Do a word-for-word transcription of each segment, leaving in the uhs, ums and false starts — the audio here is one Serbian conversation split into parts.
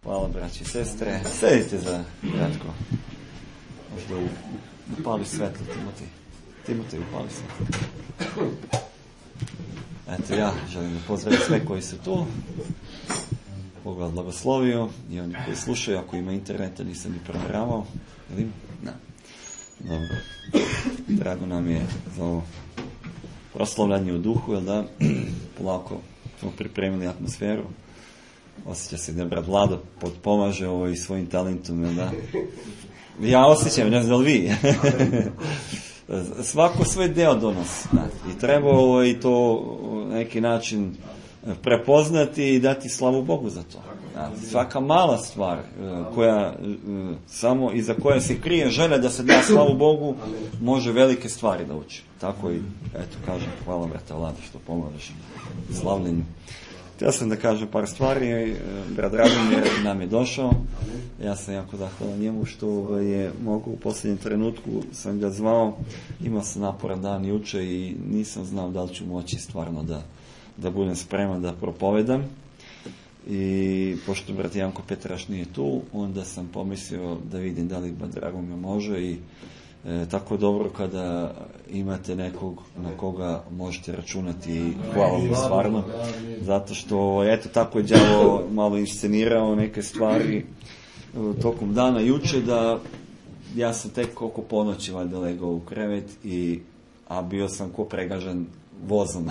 Hvala, braći i sestre. Sedite za kratko. Možda upali svetlo, Timotej. Timotej, upali svetlo. Eto, ja želim da pozdravim sve koji su tu. Bog vas blagoslovio i oni koji slušaju, ako ima interneta, nisam ni provjeravao. Jel ima? Ne. Dobro. Drago nam je za ovo proslavljanje u duhu, jel da? Polako smo pripremili atmosferu. Osjeća se da brat Vlado potpomaže ovo i svojim talentom, jel da? Ja osjećam, ne znam da li vi. Svako svoj deo donosi. I treba ovo i to na neki način prepoznati i dati slavu Bogu za to. Svaka mala stvar koja samo iza koje se krije želja da se da slavu Bogu, može velike stvari da uči. Tako i, eto, kažem, hvala brata Vlado što pomožeš slavljenju. Htio sam da kažem par stvari. Brat Dragomir nam je došao. Ja sam jako zahvalan njemu što je mogu u posljednjem trenutku, sam ga zvao. Imao sam naporan dan juče i nisam znao da li ću moći stvarno da, da budem spreman da propovedam. I pošto brat Janko Petraš nije tu, onda sam pomislio da vidim da li brat Dragomir može i E, tako dobro kada imate nekog na koga možete računati i hvala mu stvarno, zato što eto tako je đavo malo inscenirao neke stvari tokom dana juče, da ja sam tek oko ponoći valjda legao u krevet, i, a bio sam ko pregažan vozom.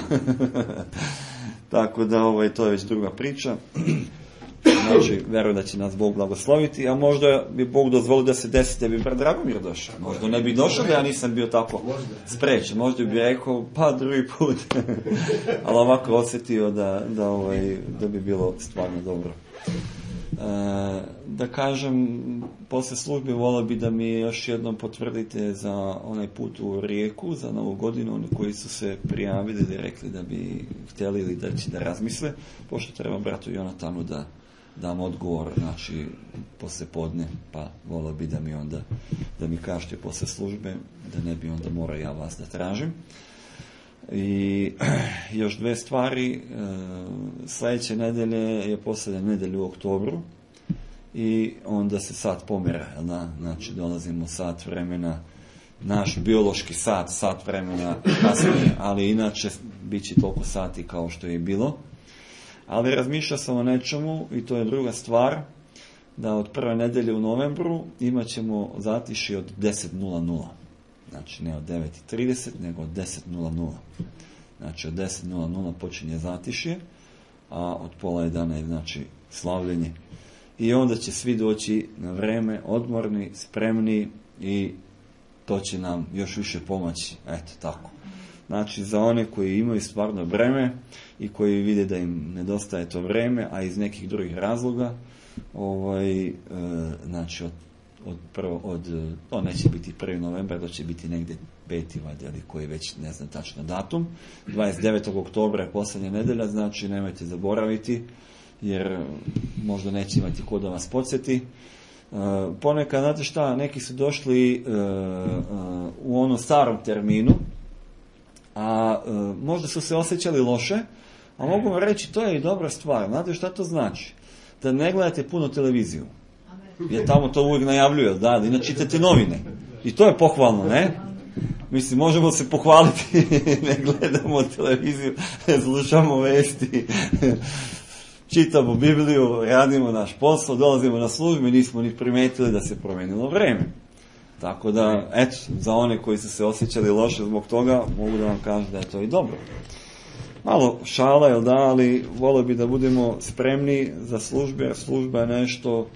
Tako da ovaj, to je već druga priča. Znači, verujem da će nas Bog blagosloviti, a možda bi Bog dozvolio da se desi da bi brat Dragomir došao. Možda ne bi došao da ja nisam bio tako sprečen. Možda bi rekao, pa drugi put. Ali ovako osjetio da, da, ovaj, da bi bilo stvarno dobro. E, da kažem, posle službe volio bi da mi još jednom potvrdite za onaj put u Rijeku, za Novu godinu, oni koji su se prijavili i rekli da bi htjeli ili da će da razmisle, pošto treba bratu Jonatanu da dam odgovor, znači, posle podne, pa volio bi da mi onda, da mi kažete posle službe, da ne bi onda morao ja vas da tražim. I još dve stvari, sljedeće nedelje je posljednja nedelja u oktobru i onda se sat pomjera, da? Znači dolazimo sat vremena, naš biološki sat, sat vremena kasnije, ali inače bit će toliko sati kao što je bilo. Ali razmišljao sam o nečemu, i to je druga stvar, da od prve nedelje u novembru imat ćemo zatišje od deset nula nula. Znači ne od devet trideset, nego od deset nula nula. Znači od deset nula nula počinje zatišje, a od pola jedana je znači slavljenje. I onda će svi doći na vreme, odmorni, spremni, i to će nam još više pomoći. Eto tako. Znači za one koji imaju stvarno vreme i koji vide da im nedostaje to vreme, a iz nekih drugih razloga, ovaj, e, znači od, od, prvo, od, to neće biti prvi novembar, to će biti negdje peti valjda, ali koji već ne znam tačno datum. dvadeset devetog oktobra je posljednja nedelja, znači nemojte zaboraviti, jer možda neće imati ko da vas podsjeti. E, ponekad, znate šta, neki su došli e, e, u onom starom terminu, a e, možda su se osjećali loše, a mogu vam reći, to je i dobra stvar. Znate šta to znači? Da ne gledate puno televiziju. Jer tamo to uvijek najavljuje, da, da ne čitate novine. I to je pohvalno, ne? Mislim, možemo se pohvaliti, ne gledamo televiziju, ne slušamo vesti, čitamo Bibliju, radimo naš posao, dolazimo na službu i nismo ni primetili da se promijenilo vreme. Tako da, eto, za one koji su se osjećali loše zbog toga, mogu da vam kažem da je to i dobro. Malo šala, jel da, ali volio bi da budemo spremni za službe, jer služba je nešto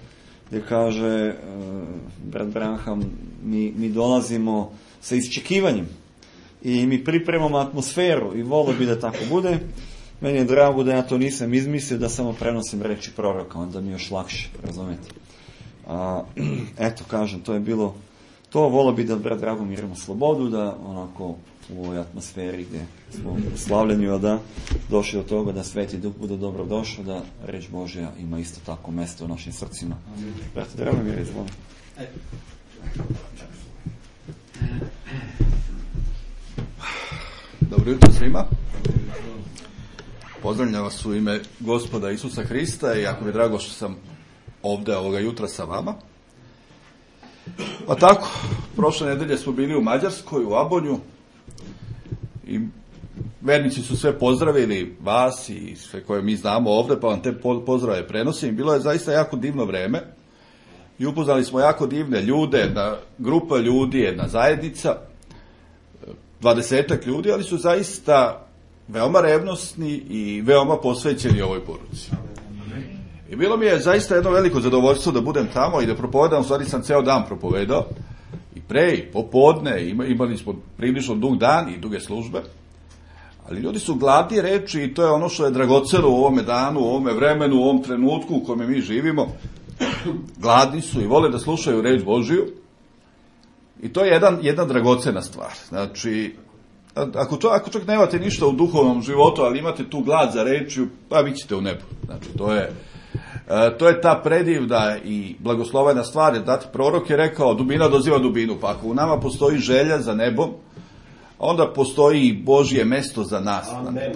gdje kaže uh, brat Branham, mi, mi dolazimo sa iščekivanjem i mi pripremamo atmosferu i volio bi da tako bude. Meni je drago da ja to nisam izmislio, da samo prenosim reči proroka, onda mi je još lakše, razumijete. A, eto, kažem, to je bilo to. Volio bi da brat Dragomir imamo slobodu, da onako u ovoj atmosferi gdje smo u slavljenju, da došli do toga da Sveti Duh bude dobro došao, da reč Božja ima isto tako mjesto u našim srcima. Brat Dragomir, izvoli. Dobro jutro svima. Pozdravljam vas u ime Gospoda Isusa Hrista i jako mi je drago što sam ovde ovoga jutra sa vama. Pa tako, prošle nedelje smo bili u Mađarskoj, u Abonju, i vernici su sve pozdravili, vas i sve koje mi znamo ovde, pa vam te pozdrave prenosim. Bilo je zaista jako divno vreme i upoznali smo jako divne ljude, jedna grupa ljudi, jedna zajednica, dvadesetak ljudi, ali su zaista veoma revnosni i veoma posvećeni ovoj poruci. I bilo mi je zaista jedno veliko zadovoljstvo da budem tamo i da propovedam, u stvari sam ceo dan propovedao, i pre, i popodne, imali smo prilično dug dan i duge službe, ali ljudi su gladni reči i to je ono što je dragoceno u ovome danu, u ovome vremenu, u ovom trenutku u kome mi živimo. Gladni su i vole da slušaju reč Božiju i to je jedan, jedna dragocena stvar. Znači, ako, to, ako čak nemate ništa u duhovnom životu, ali imate tu glad za rečju, pa vi ćete u nebu. Znači, to je, to je ta predivna i blagoslovena stvar. Znate, prorok je rekao, dubina doziva dubinu, pa ako u nama postoji želja za nebom, onda postoji i Božje mesto za nas. Amen.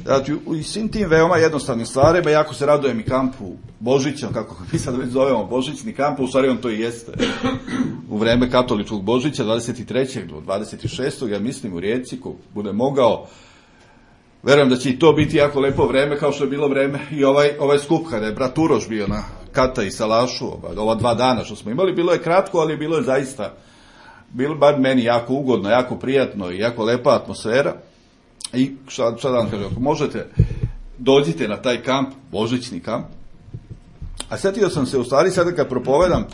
Znači, u svim tim veoma jednostavnim stvarima, jako se radujem i kampu Božića, kako mi sad već zovemo Božićni kamp, u stvari on to i jeste u vreme katoličkog Božića, dvadeset trećeg do dvadeset šestog ja mislim, u Rijeci, ko bude mogao. Verujem da će i to biti jako lepo vreme, kao što je bilo vreme i ovaj, ovaj skup, kada je brat Uroš bio na Kata i Salašu, ova dva dana što smo imali, bilo je kratko, ali bilo je zaista, bilo bar meni jako ugodno, jako prijatno i jako lepa atmosfera. I šta, šta da vam kažem, ako možete, dođite na taj kamp, Božićni kamp. A setio sam se, u stvari, sada kad propovedam,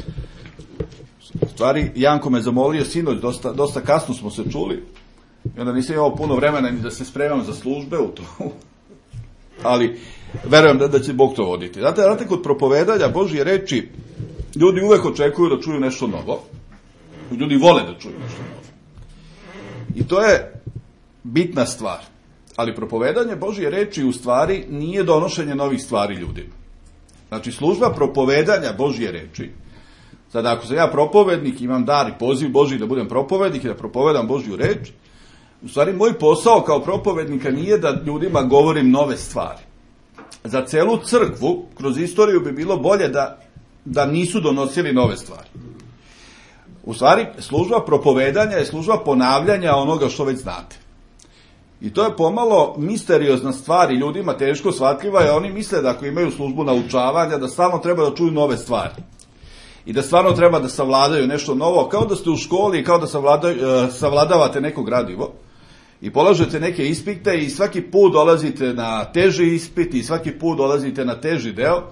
u stvari, Janko me zamolio sinoć, dosta, dosta kasno smo se čuli, i onda nisam imao puno vremena ni da se spremam za službe u to, ali verujem da, da će Bog to voditi. Znate, znate, kod propovedanja Božje reči, ljudi uvek očekuju da čuju nešto novo, ljudi vole da čuju nešto novo. I to je bitna stvar. Ali propovedanje Božje reči u stvari nije donošenje novih stvari ljudima. Znači, služba propovedanja Božje reči, sada ako sam ja propovednik, imam dar i poziv Božji da budem propovednik i da propovedam Božju reč, u stvari moj posao kao propovednika nije da ljudima govorim nove stvari. Za celu crkvu, kroz istoriju bi bilo bolje da, da nisu donosili nove stvari. U stvari, služba propovedanja je služba ponavljanja onoga što već znate. I to je pomalo misteriozna stvar i ljudima teško shvatljiva, jer oni misle da ako imaju službu naučavanja, da stalno treba da čuju nove stvari. I da stvarno treba da savladaju nešto novo, kao da ste u školi i kao da savladavate neko gradivo. I polažete neke ispite i svaki put dolazite na teži ispit i svaki put dolazite na teži deo.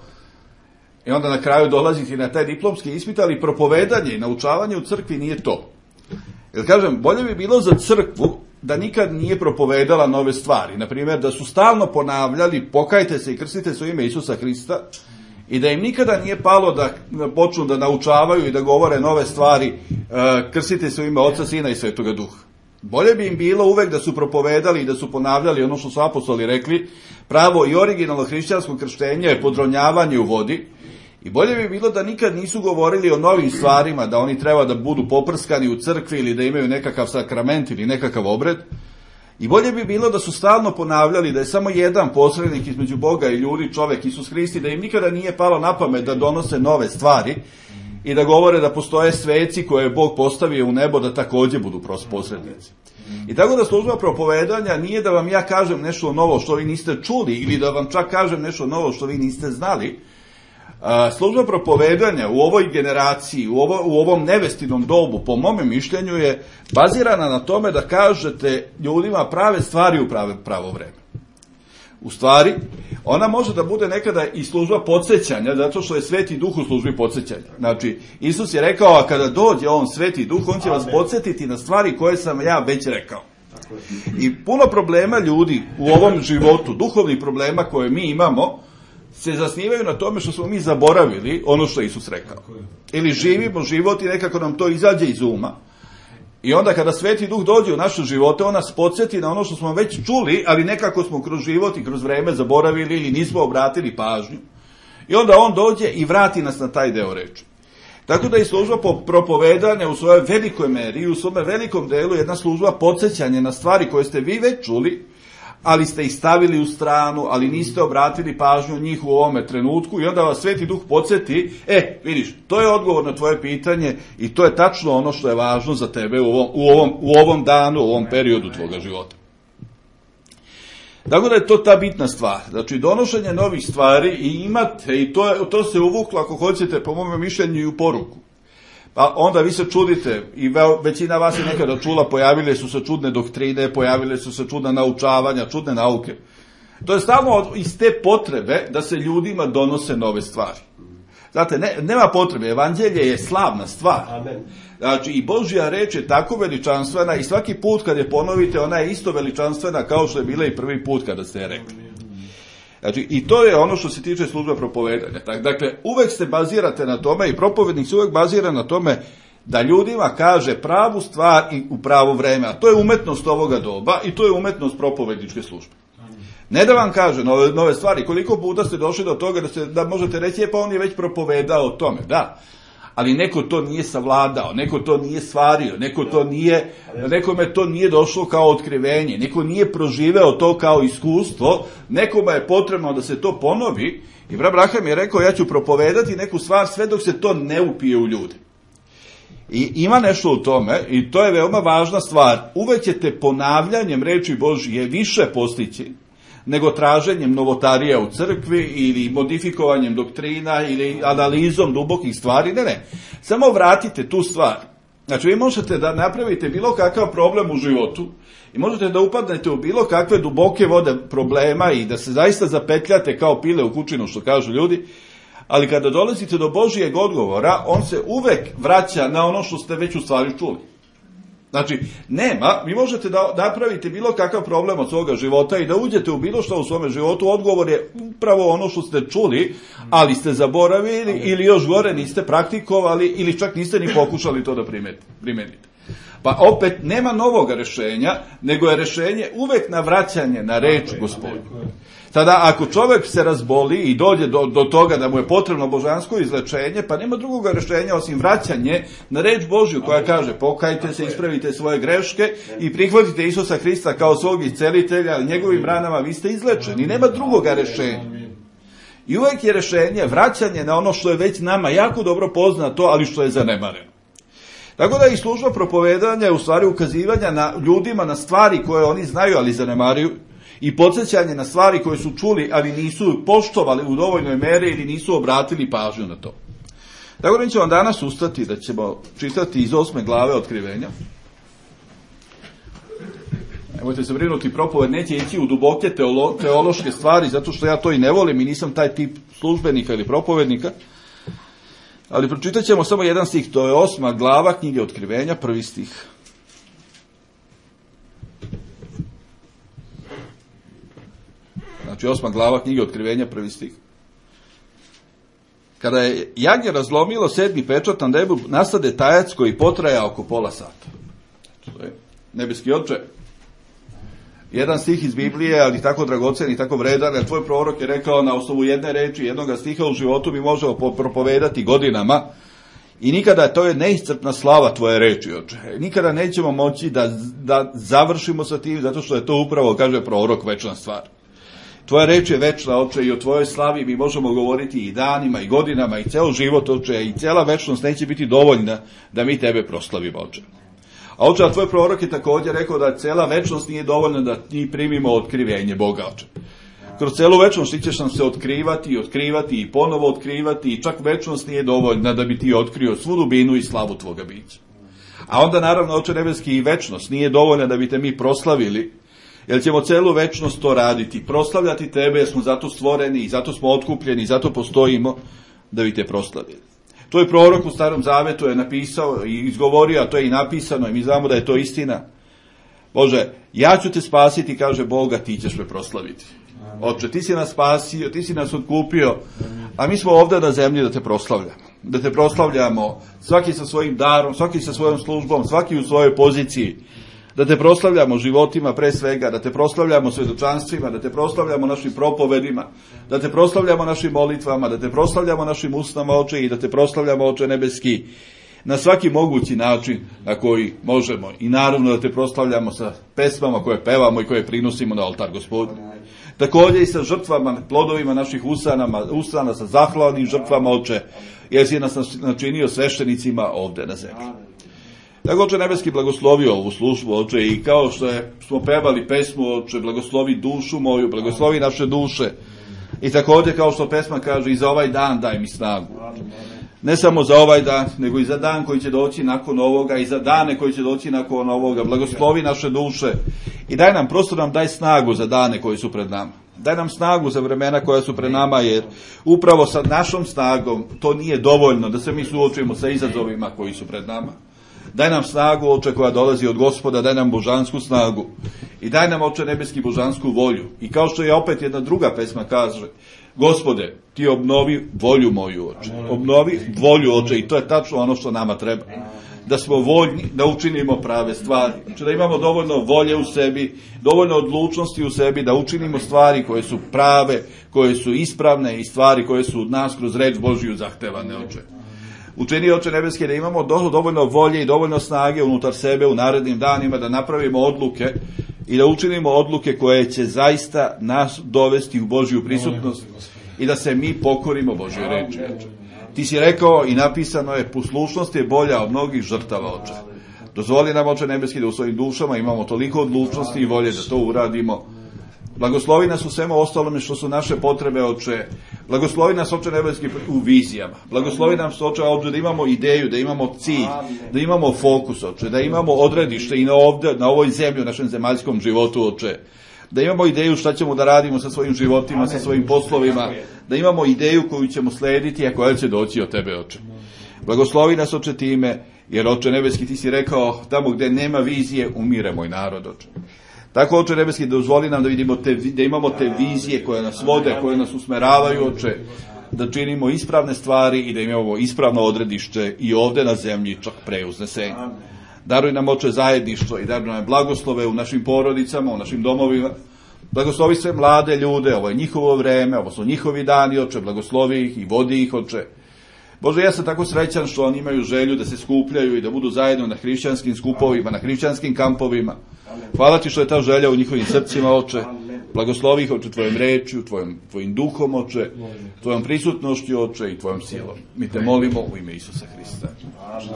I onda na kraju dolazite na taj diplomski ispit, ali propovedanje i naučavanje u crkvi nije to. Jer kažem, bolje bi bilo za crkvu da nikad nije propovedala nove stvari. Naprimjer, da su stalno ponavljali pokajte se i krstite se u ime Isusa Hrista i da im nikada nije palo da počnu da naučavaju i da govore nove stvari, krstite se u ime Oca, Sina i Svetoga Duha. Bolje bi im bilo uvek da su propovedali i da su ponavljali ono što su apostoli rekli, pravo i originalno hrišćansko krštenje je podronjavanje u vodi. I bolje bi bilo da nikad nisu govorili o novim stvarima, da oni treba da budu poprskani u crkvi ili da imaju nekakav sakrament ili nekakav obred. I bolje bi bilo da su stalno ponavljali da je samo jedan posrednik između Boga i ljudi, čovek Isus Hristi, da im nikada nije palo na pamet da donose nove stvari i da govore da postoje sveci koje je Bog postavio u nebo da takođe budu posrednici. I tako da služba propovedanja nije da vam ja kažem nešto novo što vi niste čuli ili da vam čak kažem nešto novo što vi niste znali. Služba propovedanja u ovoj generaciji, u, ovo, u ovom nevestinom dobu, po mome mišljenju, je bazirana na tome da kažete ljudima prave stvari u prave, pravo vreme. U stvari, ona može da bude nekada i služba podsjećanja, zato što je Sveti Duh u službi podsjećanja. Znači, Isus je rekao, a kada dođe on Sveti Duh, on će vas podsjetiti na stvari koje sam ja već rekao. I puno problema ljudi u ovom životu, duhovnih problema koje mi imamo, se zasnivaju na tome što smo mi zaboravili ono što je Isus rekao. Ili živimo život i nekako nam to izađe iz uma. I onda kada Sveti Duh dođe u naše živote, on nas podsjeti na ono što smo već čuli, ali nekako smo kroz život i kroz vreme zaboravili ili nismo obratili pažnju. I onda on dođe i vrati nas na taj deo reči. Tako da i služba po propovedanja u svojoj velikoj meri i u svome velikom delu je jedna služba podsjećanja na stvari koje ste vi već čuli, ali ste ih stavili u stranu, ali niste obratili pažnju njih u ovome trenutku i onda vas Sveti Duh podsjeti, e, vidiš, to je odgovor na tvoje pitanje i to je tačno ono što je važno za tebe u ovom, u ovom, u ovom danu, u ovom periodu tvoga života. Tako da je to ta bitna stvar. Znači, donošenje novih stvari i imate, i to, je, to se uvuklo, ako hoćete, po mome mišljenju, i u poruku. Pa onda vi se čudite, i većina vas je nekada čula, pojavile su se čudne doktrine, pojavile su se čudna naučavanja, čudne nauke. To je samo iz te potrebe da se ljudima donose nove stvari. Znate, ne, nema potrebe, evanđelje je slavna stvar. Amen. Znači, i Božja reč je tako veličanstvena i svaki put kad je ponovite, ona je isto veličanstvena kao što je bila i prvi put kada ste je rekli. Znači, i to je ono što se tiče službe propovedanja. Dakle, uvek se bazirate na tome i propovednik se uvek bazira na tome da ljudima kaže pravu stvar i u pravo vreme. A to je umetnost ovoga doba i to je umetnost propovedničke službe. Ne da vam kaže nove, nove stvari. Koliko puta ste došli do toga da, se, da možete reći, je pa on je već propovedao o tome. Da, ali neko to nije savladao, neko to nije stvario, neko to nije, nekome to nije došlo kao otkrivenje, neko nije proživeo to kao iskustvo, nekome je potrebno da se to ponovi i brat Braham je rekao, ja ću propovedati neku stvar sve dok se to ne upije u ljude. I ima nešto u tome i to je veoma važna stvar. Uvek ćete ponavljanjem reči Božije više postići nego traženjem novotarija u crkvi ili modifikovanjem doktrina ili analizom dubokih stvari. Ne, ne. Samo vratite tu stvar. Znači, vi možete da napravite bilo kakav problem u životu i možete da upadnete u bilo kakve duboke vode problema i da se zaista zapetljate kao pile u kućinu, što kažu ljudi, ali kada dolazite do Božijeg odgovora, on se uvek vraća na ono što ste već u stvari čuli. Znači, nema, vi možete da napravite bilo kakav problem od svoga života i da uđete u bilo što u svome životu, odgovor je upravo ono što ste čuli, ali ste zaboravili ili još gore niste praktikovali ili čak niste ni pokušali to da primenite. Pa opet nema novog rešenja, nego je rešenje uvek na vraćanje na reč Gospodnju. Tada ako čovjek se razboli i dođe do, do toga da mu je potrebno božansko izlečenje, pa nema drugog rešenja osim vraćanje na reč Božju koja kaže pokajte se, ispravite svoje greške i prihvatite Isusa Hrista kao svog iscelitelja, ali njegovim ranama vi ste izlečeni. Nema drugog rešenja. I uvek je rešenje vraćanje na ono što je već nama jako dobro poznato, ali što je zanemareno. Tako da i služba propovedanja je u stvari ukazivanja na ljudima na stvari koje oni znaju, ali zanemaruju, i podsjećanje na stvari koje su čuli, ali nisu poštovali u dovoljnoj meri ili nisu obratili pažnju na to. Tako da mi ćemo danas ustati da ćemo čitati iz osme glave Otkrivenja. Nemojte se brinuti, propoved neće ići u duboke teolo, teološke stvari, zato što ja to i ne volim i nisam taj tip službenika ili propovednika. Ali pročitat ćemo samo jedan stih, to je osma glava knjige Otkrivenja, prvi stih. Znači osma glava knjige Otkrivenja, prvi stih. Kada je jagnje razlomilo sedmi pečat na nebu, nastade tajac koji potraja oko pola sata. To je nebeski Oče. Jedan stih iz Biblije, ali tako dragocen i tako vredan, jer tvoj prorok je rekao na osnovu jedne reči, jednoga stiha u životu mi možemo propovedati godinama i nikada, to je neiscrpna slava tvoje reči, Oče. Nikada nećemo moći da, da završimo sa tim, zato što je to upravo, kaže prorok, večna stvar. Tvoja reč je večna, Oče, i o tvojoj slavi mi možemo govoriti i danima, i godinama, i ceo život, Oče, i cela večnost neće biti dovoljna da mi tebe proslavimo, Oče. A Oče, a tvoj prorok je također rekao da cela večnost nije dovoljna da mi primimo otkrivenje Boga, Oče. Kroz celu večnost ti ćeš nam se otkrivati i otkrivati i ponovo otkrivati i čak večnost nije dovoljna da bi ti otkrio svu dubinu i slavu tvoga bića. A onda naravno, Oče nebeski, i večnost nije dovoljna da bi te mi proslavili, jer ćemo celu večnost to raditi, proslavljati tebe, jer smo zato stvoreni i zato smo otkupljeni i zato postojimo da bi te proslavili. To je prorok u Starom Zavetu je napisao i izgovorio, a to je i napisano i mi znamo da je to istina. Bože, ja ću te spasiti, kaže Boga, ti ćeš me proslaviti. Oče, ti si nas spasio, ti si nas otkupio, a mi smo ovdje na zemlji da te proslavljamo. Da te proslavljamo svaki sa svojim darom, svaki sa svojom službom, svaki u svojoj poziciji. Da te proslavljamo životima pre svega, da te proslavljamo svedočanstvima, da te proslavljamo našim propovedima, da te proslavljamo našim molitvama, da te proslavljamo našim usnama, Oče, i da te proslavljamo, Oče nebeski, na svaki mogući način na koji možemo. I naravno da te proslavljamo sa pesmama koje pevamo i koje prinosimo na oltar Gospodnji. Također i sa žrtvama, plodovima naših usana, usana sa zahvalnim žrtvama, Oče, jer si nas načinio sveštenicima ovde na zemlji. Tako, Oče nebeski, blagoslovi ovu službu, Oče, i kao što je, smo pevali pesmu, Oče, blagoslovi dušu moju, blagoslovi naše duše. I također, kao što pesma kaže, i za ovaj dan daj mi snagu. Ne samo za ovaj dan, nego i za dan koji će doći nakon ovoga, i za dane koji će doći nakon ovoga. Blagoslovi naše duše i daj nam, prosto nam daj snagu za dane koji su pred nama. Daj nam snagu za vremena koja su pred nama, jer upravo sa našom snagom to nije dovoljno da se mi suočimo sa izazovima koji su pred nama. Daj nam snagu, Oče, koja dolazi od Gospoda, daj nam božansku snagu i daj nam, Oče nebeski, božansku volju. I kao što je opet jedna druga pesma kaže, Gospode, ti obnovi volju moju, Oče. Obnovi volju, Oče, i to je tačno ono što nama treba. Da smo voljni, da učinimo prave stvari. Znači da imamo dovoljno volje u sebi, dovoljno odlučnosti u sebi, da učinimo stvari koje su prave, koje su ispravne i stvari koje su od nas kroz reč Božiju zahtevane, Oče. Učini, Oče nebeski, da imamo dovoljno volje i dovoljno snage unutar sebe u narednim danima da napravimo odluke i da učinimo odluke koje će zaista nas dovesti u Božju prisutnost i da se mi pokorimo Božjoj reči. Ti si rekao i napisano je, poslušnost je bolja od mnogih žrtava, Oče. Dozvoli nam, Oče nebeski, da u svojim dušama imamo toliko odlučnosti i volje da to uradimo. Blagoslovi nas u svemu ostalome što su naše potrebe, Oče. Blagoslovi nas, Oče nebeski, u vizijama. Blagoslovi nam, Oče, ovdje da imamo ideju, da imamo cilj, da imamo fokus, Oče, da imamo odredište i na, ovdje, na ovoj zemlji, u našem zemaljskom životu, Oče. Da imamo ideju šta ćemo da radimo sa svojim životima, sa svojim poslovima, da imamo ideju koju ćemo slediti, a koja će doći od Tebe, Oče. Blagoslovi nas, Oče, time, jer, Oče nebeski, Ti si rekao, tamo gdje nema vizije, umire moj narod, Oče. Tako, Oče nebeski, dozvoli nam da vidimo te, da imamo te vizije koje nas vode, koje nas usmeravaju, Oče, da činimo ispravne stvari i da imamo ispravno odredište i ovdje na zemlji, čak pre uznesenja. Daruj nam, Oče, zajedništvo i daruj nam blagoslove u našim porodicama, u našim domovima. Blagoslovi sve mlade ljude, ovo je njihovo vreme, ovo su njihovi dani, Oče, blagoslovi ih i vodi ih, Oče. Bože, ja sam tako srećan što oni imaju želju da se skupljaju i da budu zajedno na hrišćanskim skupovima, na hrišćanskim kampovima. Hvala Ti što je ta želja u njihovim srcima, Oče. Blagoslovi ih, Oče, Tvojom rečju, tvojim, tvojim duhom, Oče, Tvojom prisutnošću, Oče, i Tvojom silom. Mi Te molimo u ime Isusa Hrista. Možete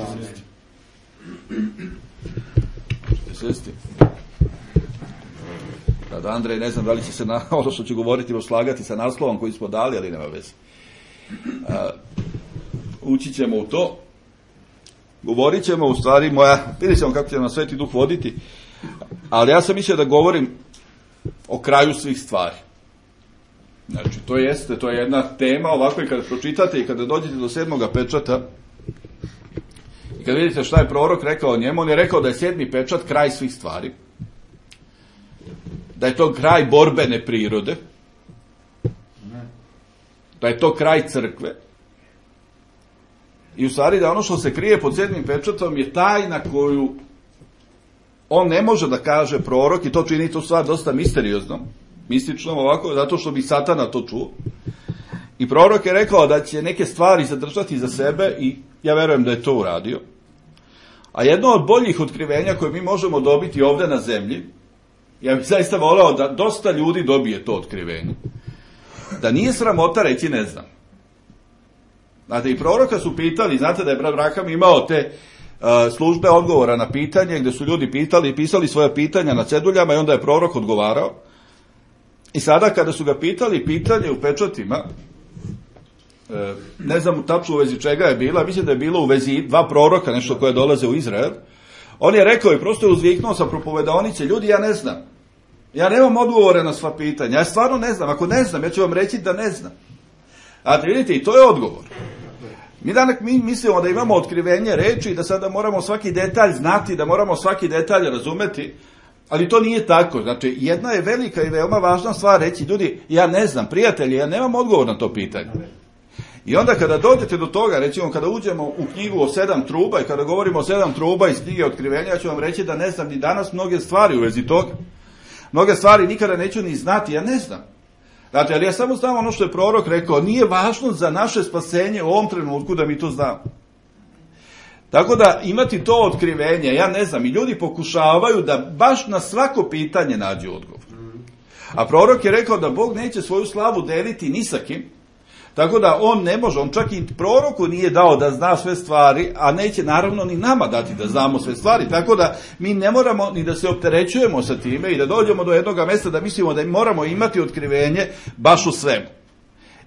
sjesti. Kada Andrej, ne znam da li će se na ono što će govoriti slagati sa naslovom koji smo dali, ali nema veze. A, ući ćemo u to. Govorit ćemo u stvari moja, vidjet ćemo kako će nam Sveti Duh voditi, ali ja sam mislio da govorim o kraju svih stvari. Znači, to jeste, to je jedna tema ovako i kada pročitate i kada dođete do sedmoga pečata i kada vidite šta je prorok rekao o njemu, on je rekao da je sedmi pečat kraj svih stvari, da je to kraj borbene prirode, da je to kraj crkve i u stvari da ono što se krije pod sedmim pečatom je tajna koju on ne može da kaže prorok i to čini tu stvar dosta misterioznom, mističnom ovako, zato što bi Satana to čuo. I prorok je rekao da će neke stvari zadržati za sebe i ja verujem da je to uradio. A jedno od boljih otkrivenja koje mi možemo dobiti ovdje na zemlji, ja bih zaista voleo da dosta ljudi dobije to otkrivenje, da nije sramota reći ne znam. Znate, i proroka su pitali, znate da je brat Braham imao te uh, službe odgovora na pitanje, gdje su ljudi pitali i pisali svoje pitanja na ceduljama i onda je prorok odgovarao. I sada kada su ga pitali pitanje u pečatima, uh, ne znam tačno u vezi čega je bila, mislim da je bilo u vezi dva proroka, nešto koje dolaze u Izrael, on je rekao i prosto je uzviknuo sa propovedonice, ljudi, ja ne znam. Ja nemam odgovore na sva pitanja, ja stvarno ne znam, ako ne znam, ja ću vam reći da ne znam. A vidite, i to je odgovor. Mi danas mi mislimo da imamo otkrivenje reči i da sada moramo svaki detalj znati, da moramo svaki detalj razumeti, ali to nije tako. Znači, jedna je velika i veoma važna stvar reći, ljudi, ja ne znam, prijatelji, ja nemam odgovor na to pitanje. I onda kada dođete do toga, recimo kada uđemo u knjigu o sedam truba i kada govorimo o sedam truba iz knjige otkrivenja, ja ću vam reći da ne znam ni danas mnoge stvari u vezi toga. Mnoge stvari nikada neću ni znati, ja ne znam. Znači, ali ja samo znam ono što je prorok rekao, nije važno za naše spasenje u ovom trenutku da mi to znamo. Tako da imati to otkrivenje, ja ne znam, i ljudi pokušavaju da baš na svako pitanje nađu odgovor. A prorok je rekao da Bog neće svoju slavu deliti ni sa kim, tako da on ne može, on čak i proroku nije dao da zna sve stvari, a neće naravno ni nama dati da znamo sve stvari, tako da mi ne moramo ni da se opterećujemo sa time i da dođemo do jednog mjesta da mislimo da moramo imati otkrivenje baš u svemu.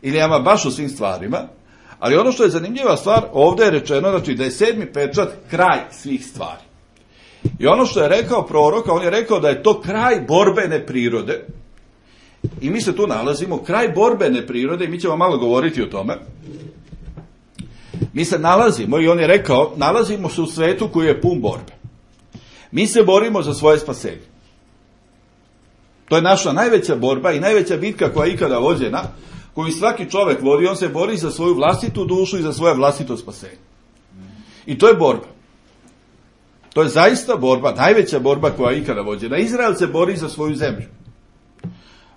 Ili ama baš u svim stvarima, ali ono što je zanimljiva stvar, ovdje je rečeno znači, da je sedmi pečat kraj svih stvari. I ono što je rekao prorok, on je rekao da je to kraj borbene prirode. I mi se tu nalazimo, kraj borbene prirode, i mi ćemo malo govoriti o tome. Mi se nalazimo, i on je rekao, nalazimo se u svetu koji je pun borbe. Mi se borimo za svoje spasenje. To je naša najveća borba i najveća bitka koja je ikada vođena, koju svaki čovjek vodi, on se bori za svoju vlastitu dušu i za svoje vlastito spasenje. I to je borba. To je zaista borba, najveća borba koja je ikada vođena. Izrael se bori za svoju zemlju.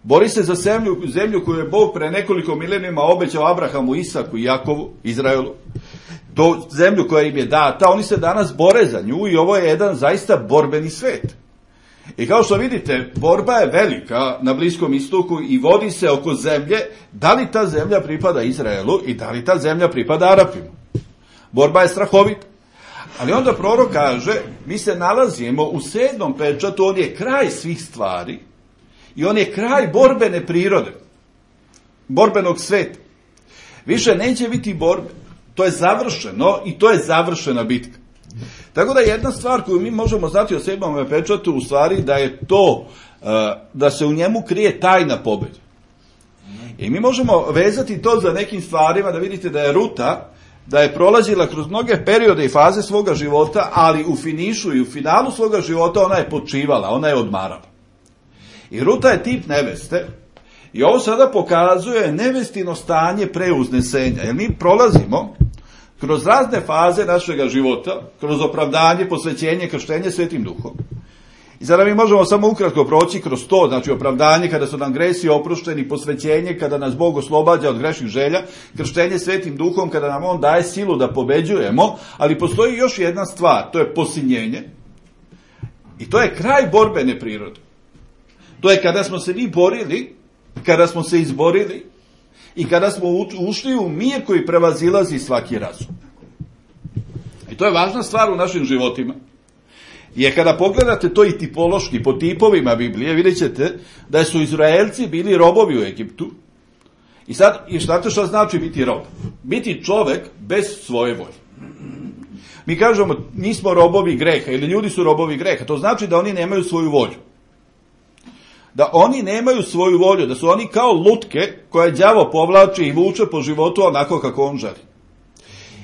Bori se za zemlju, zemlju koju je Bog pre nekoliko milenijuma obećao Abrahamu, Isaku i Jakovu, Izraelu. To zemlju koja im je data, oni se danas bore za nju i ovo je jedan zaista borbeni svet. I kao što vidite, borba je velika na Bliskom istoku i vodi se oko zemlje, da li ta zemlja pripada Izraelu i da li ta zemlja pripada Arapima. Borba je strahovita. Ali onda prorok kaže, mi se nalazimo u sedmom pečatu, on je kraj svih stvari i on je kraj borbene prirode, borbenog sveta. Više neće biti borbe, to je završeno i to je završena bitka. Tako da jedna stvar koju mi možemo znati o sedmom pečatu u stvari da je to, da se u njemu krije tajna pobjeda. I mi možemo vezati to za nekim stvarima, da vidite da je Ruta, da je prolazila kroz mnoge periode i faze svoga života, ali u finišu i u finalu svoga života ona je počivala, ona je odmarala. I Ruta je tip neveste i ovo sada pokazuje nevestino stanje preuznesenja, jer mi prolazimo kroz razne faze našega života, kroz opravdanje, posvećenje, krštenje Svetim Duhom. I sada mi možemo samo ukratko proći kroz to, znači opravdanje kada su nam gresi oprošteni, posvećenje kada nas Bog oslobađa od grešnih želja, krštenje Svetim Duhom kada nam On daje silu da pobeđujemo, ali postoji još jedna stvar, to je posinjenje i to je kraj borbene prirode. To je kada smo se mi borili, kada smo se izborili i kada smo ušli u mir koji prevazilazi svaki razum. I to je važna stvar u našim životima. Jer kada pogledate to i tipološki, po tipovima Biblije, vidjet ćete da su Izraelci bili robovi u Egiptu. I sad, i znate što znači biti rob? Biti čovek bez svoje volje. Mi kažemo, nismo robovi greha, ili ljudi su robovi greha. To znači da oni nemaju svoju volju. Da oni nemaju svoju volju, da su oni kao lutke koje đavo povlači i vuče po životu onako kako on želi.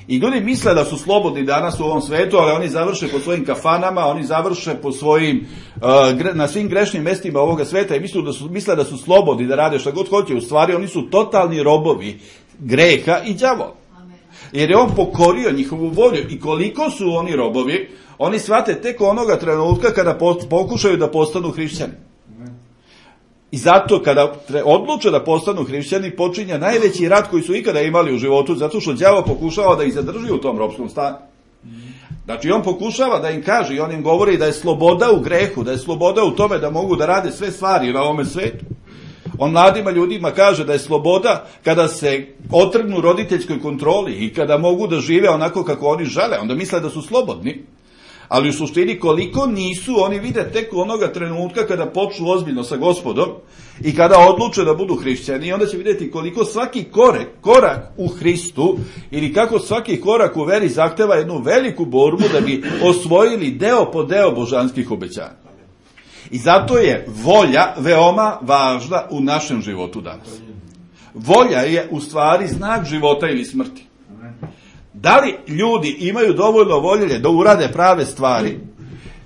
I ljudi misle da su slobodni danas u ovom svetu, ali oni završe po svojim kafanama, oni završe po svojim, uh, na svim grešnim mestima ovoga sveta i misle da su, misle da su slobodni, da rade šta god hoće. U stvari oni su totalni robovi greha i đavola. Jer je on pokorio njihovu volju i koliko su oni robovi, oni shvate tek onoga trenutka kada pokušaju da postanu hrišćani. I zato kada odluče da postanu hrišćani, počinje najveći rat koji su ikada imali u životu, zato što đavo pokušava da ih zadrži u tom ropskom stanju. Znači on pokušava da im kaže i on im govori da je sloboda u grehu, da je sloboda u tome da mogu da rade sve stvari na ovome svetu. On mladima ljudima kaže da je sloboda kada se otrgnu roditeljskoj kontroli i kada mogu da žive onako kako oni žele, onda misle da su slobodni. Ali u suštini koliko nisu, oni vide tek onoga trenutka kada počnu ozbiljno sa Gospodom i kada odluče da budu hrišćani, i onda će vidjeti koliko svaki korek, korak u Hristu ili kako svaki korak u veri zahteva jednu veliku borbu da bi osvojili deo po deo božanskih obećanja. I zato je volja veoma važna u našem životu danas. Volja je u stvari znak života ili smrti. Da li ljudi imaju dovoljno volje da urade prave stvari,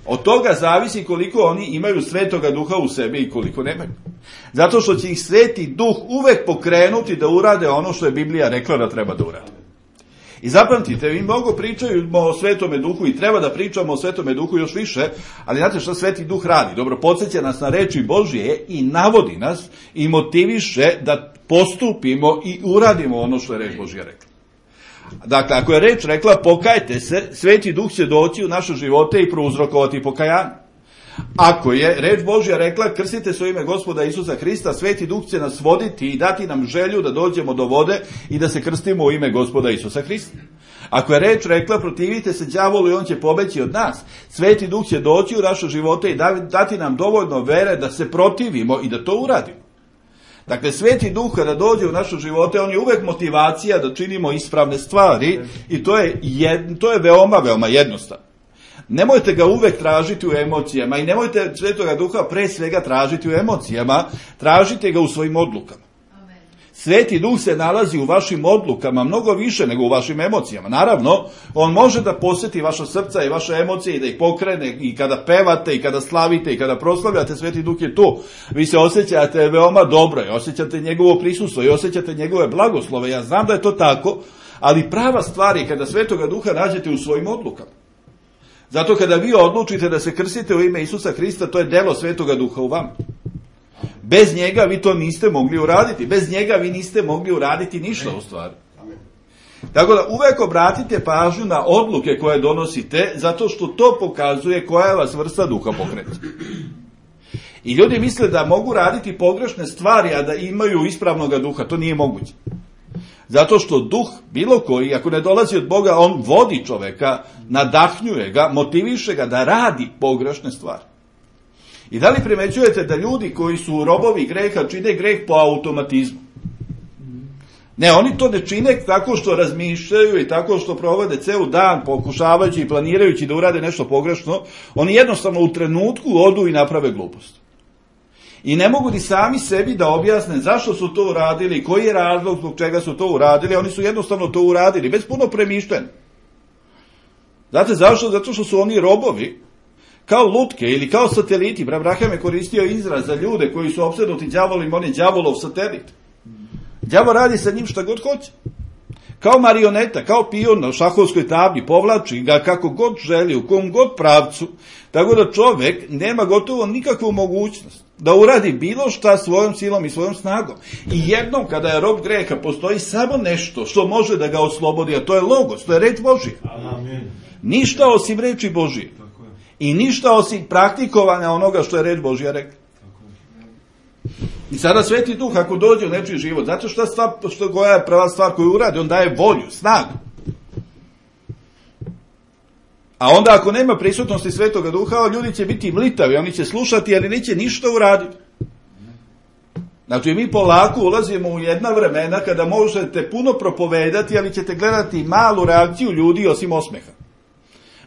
od toga zavisi koliko oni imaju Svetoga Duha u sebi i koliko nemaju. Zato što će ih Sveti Duh uvek pokrenuti da urade ono što je Biblija rekla da treba da urade. I zapamtite, mi mnogo pričamo o Svetome Duhu i treba da pričamo o Svetome Duhu još više, ali znate šta Sveti Duh radi? Dobro, podsjeća nas na reči Božje i navodi nas i motiviše da postupimo i uradimo ono što je reč Božja rekla. Dakle, ako je reč rekla pokajte se, Sveti Duh će doći u naše živote i prouzrokovati pokajanje. Ako je reč Božja rekla krstite se u ime Gospoda Isusa Hrista, Sveti Duh će nas voditi i dati nam želju da dođemo do vode i da se krstimo u ime Gospoda Isusa Hrista. Ako je reč rekla protivite se đavolu i on će pobeći od nas, Sveti Duh će doći u naše živote i dati nam dovoljno vere da se protivimo i da to uradimo. Dakle, Sveti Duh kada dođe u naše živote, on je uvek motivacija da činimo ispravne stvari i to je, jed, to je veoma, veoma jednostavno. Nemojte ga uvek tražiti u emocijama i nemojte Svetoga Duha pre svega tražiti u emocijama, tražite ga u svojim odlukama. Amen. Sveti Duh se nalazi u vašim odlukama mnogo više nego u vašim emocijama. Naravno, on može da posjeti vaša srca i vaše emocije i da ih pokrene i kada pevate i kada slavite i kada proslavljate, Sveti Duh je tu. Vi se osjećate veoma dobro i osjećate njegovo prisustvo i osjećate njegove blagoslove. Ja znam da je to tako, ali prava stvar je kada Svetoga Duha nađete u svojim odlukama. Zato kada vi odlučite da se krstite u ime Isusa Hrista, to je delo Svetoga Duha u vama. Bez njega vi to niste mogli uraditi. Bez njega vi niste mogli uraditi ništa u stvari. Tako da uvek obratite pažnju na odluke koje donosite, zato što to pokazuje koja vas vrsta duha pokreta. I ljudi misle da mogu raditi pogrešne stvari, a da imaju ispravnog duha. To nije moguće. Zato što duh, bilo koji, ako ne dolazi od Boga, on vodi čoveka, nadahnjuje ga, motiviše ga da radi pogrešne stvari. I da li primećujete da ljudi koji su robovi greha čine greh po automatizmu? Ne, oni to ne čine tako što razmišljaju i tako što provode ceo dan pokušavajući i planirajući da urade nešto pogrešno. Oni jednostavno u trenutku odu i naprave glupost. I ne mogu ni sami sebi da objasne zašto su to uradili, koji je razlog zbog čega su to uradili, oni su jednostavno to uradili, bez puno premišljenja. Znate zašto? Zato što su oni robovi, kao lutke ili kao sateliti. Abraham je koristio izraz za ljude koji su opsednuti đavolom, on je đavolov satelit. Đavo radi sa njim šta god hoće. Kao marioneta, kao pion na šahovskoj tabli, povlači ga kako god želi, u kom god pravcu, tako da čovek nema gotovo nikakvu mogućnost da uradi bilo šta svojom silom i svojom snagom. I jednom kada je rob greha, postoji samo nešto što može da ga oslobodi, a to je logos, to je reč Božija. Amen. Ništa osim reči Božije. I ništa osim praktikovanja onoga što je reč Božija rekla. I sada Sveti Duh ako dođe u nečiji život, zato što, stvar, što koja je prva stvar koju uradi, on daje volju, snagu. A onda ako nema prisutnosti Svetoga Duha, ljudi će biti mlitavi, oni će slušati, ali neće ništa uraditi. Znači mi polako ulazimo u jedna vremena kada možete puno propovedati, ali ćete gledati malu reakciju ljudi osim osmeha.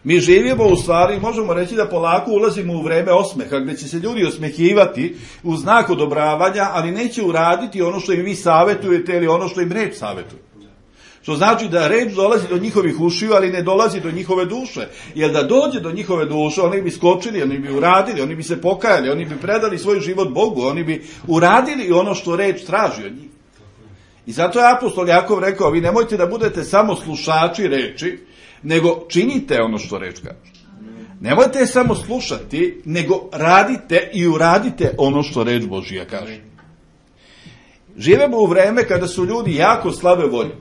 Mi živimo u stvari, možemo reći da polako ulazimo u vreme osmeha, gdje će se ljudi osmehivati u znak odobravanja, ali neće uraditi ono što im vi savjetujete ili ono što im reč savjetuje. Što znači da reč dolazi do njihovih ušiju, ali ne dolazi do njihove duše. Jer da dođe do njihove duše, oni bi skočili, oni bi uradili, oni bi se pokajali, oni bi predali svoj život Bogu, oni bi uradili ono što reč traži od njih. I zato je apostol Jakov rekao, vi nemojte da budete samo slušači reči, nego činite ono što reč kaže. Nemojte samo slušati, nego radite i uradite ono što reč Božija kaže. Živimo u vreme kada su ljudi jako slabe volje.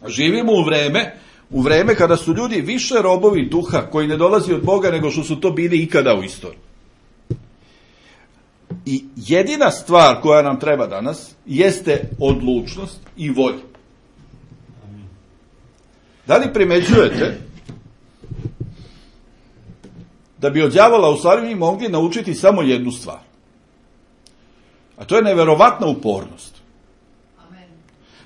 Živimo u vreme, u vreme kada su ljudi više robovi duha koji ne dolazi od Boga nego što su to bili ikada u istoriji. I jedina stvar koja nam treba danas jeste odlučnost i volja. Da li primećujete da bi od đavola u stvari mi mogli naučiti samo jednu stvar? A to je neverovatna upornost.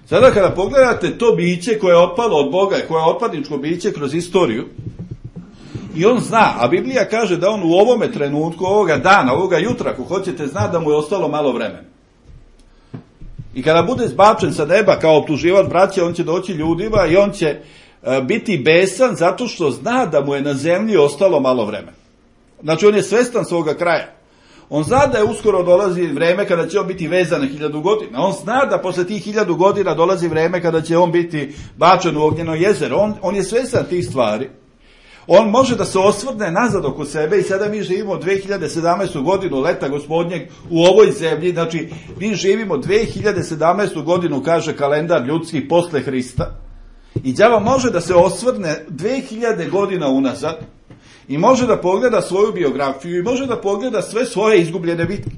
Sada kada pogledate to biće koje je otpalo od Boga i koje je otpadničko biće kroz istoriju, i on zna, a Biblija kaže da on u ovome trenutku, ovoga dana, ovoga jutra, ako hoćete, zna da mu je ostalo malo vremena. I kada bude zbačen sa neba kao optuživač braće, on će doći ljudima i on će uh, biti besan zato što zna da mu je na zemlji ostalo malo vremena. Znači on je svestan svoga kraja. On zna da je uskoro dolazi vreme kada će on biti vezan na hiljadu godina. On zna da posle tih hiljadu godina dolazi vreme kada će on biti bačen u ognjeno jezero. On, on je svestan tih stvari. On može da se osvrne nazad oko sebe i sada mi živimo dve hiljade sedamnaestu godinu leta gospodnjeg u ovoj zemlji. Znači mi živimo dve hiljade sedamnaestu godinu, kaže kalendar ljudski, posle Hrista. I đavo može da se osvrne dve hiljade godina unazad i može da pogleda svoju biografiju i može da pogleda sve svoje izgubljene bitke.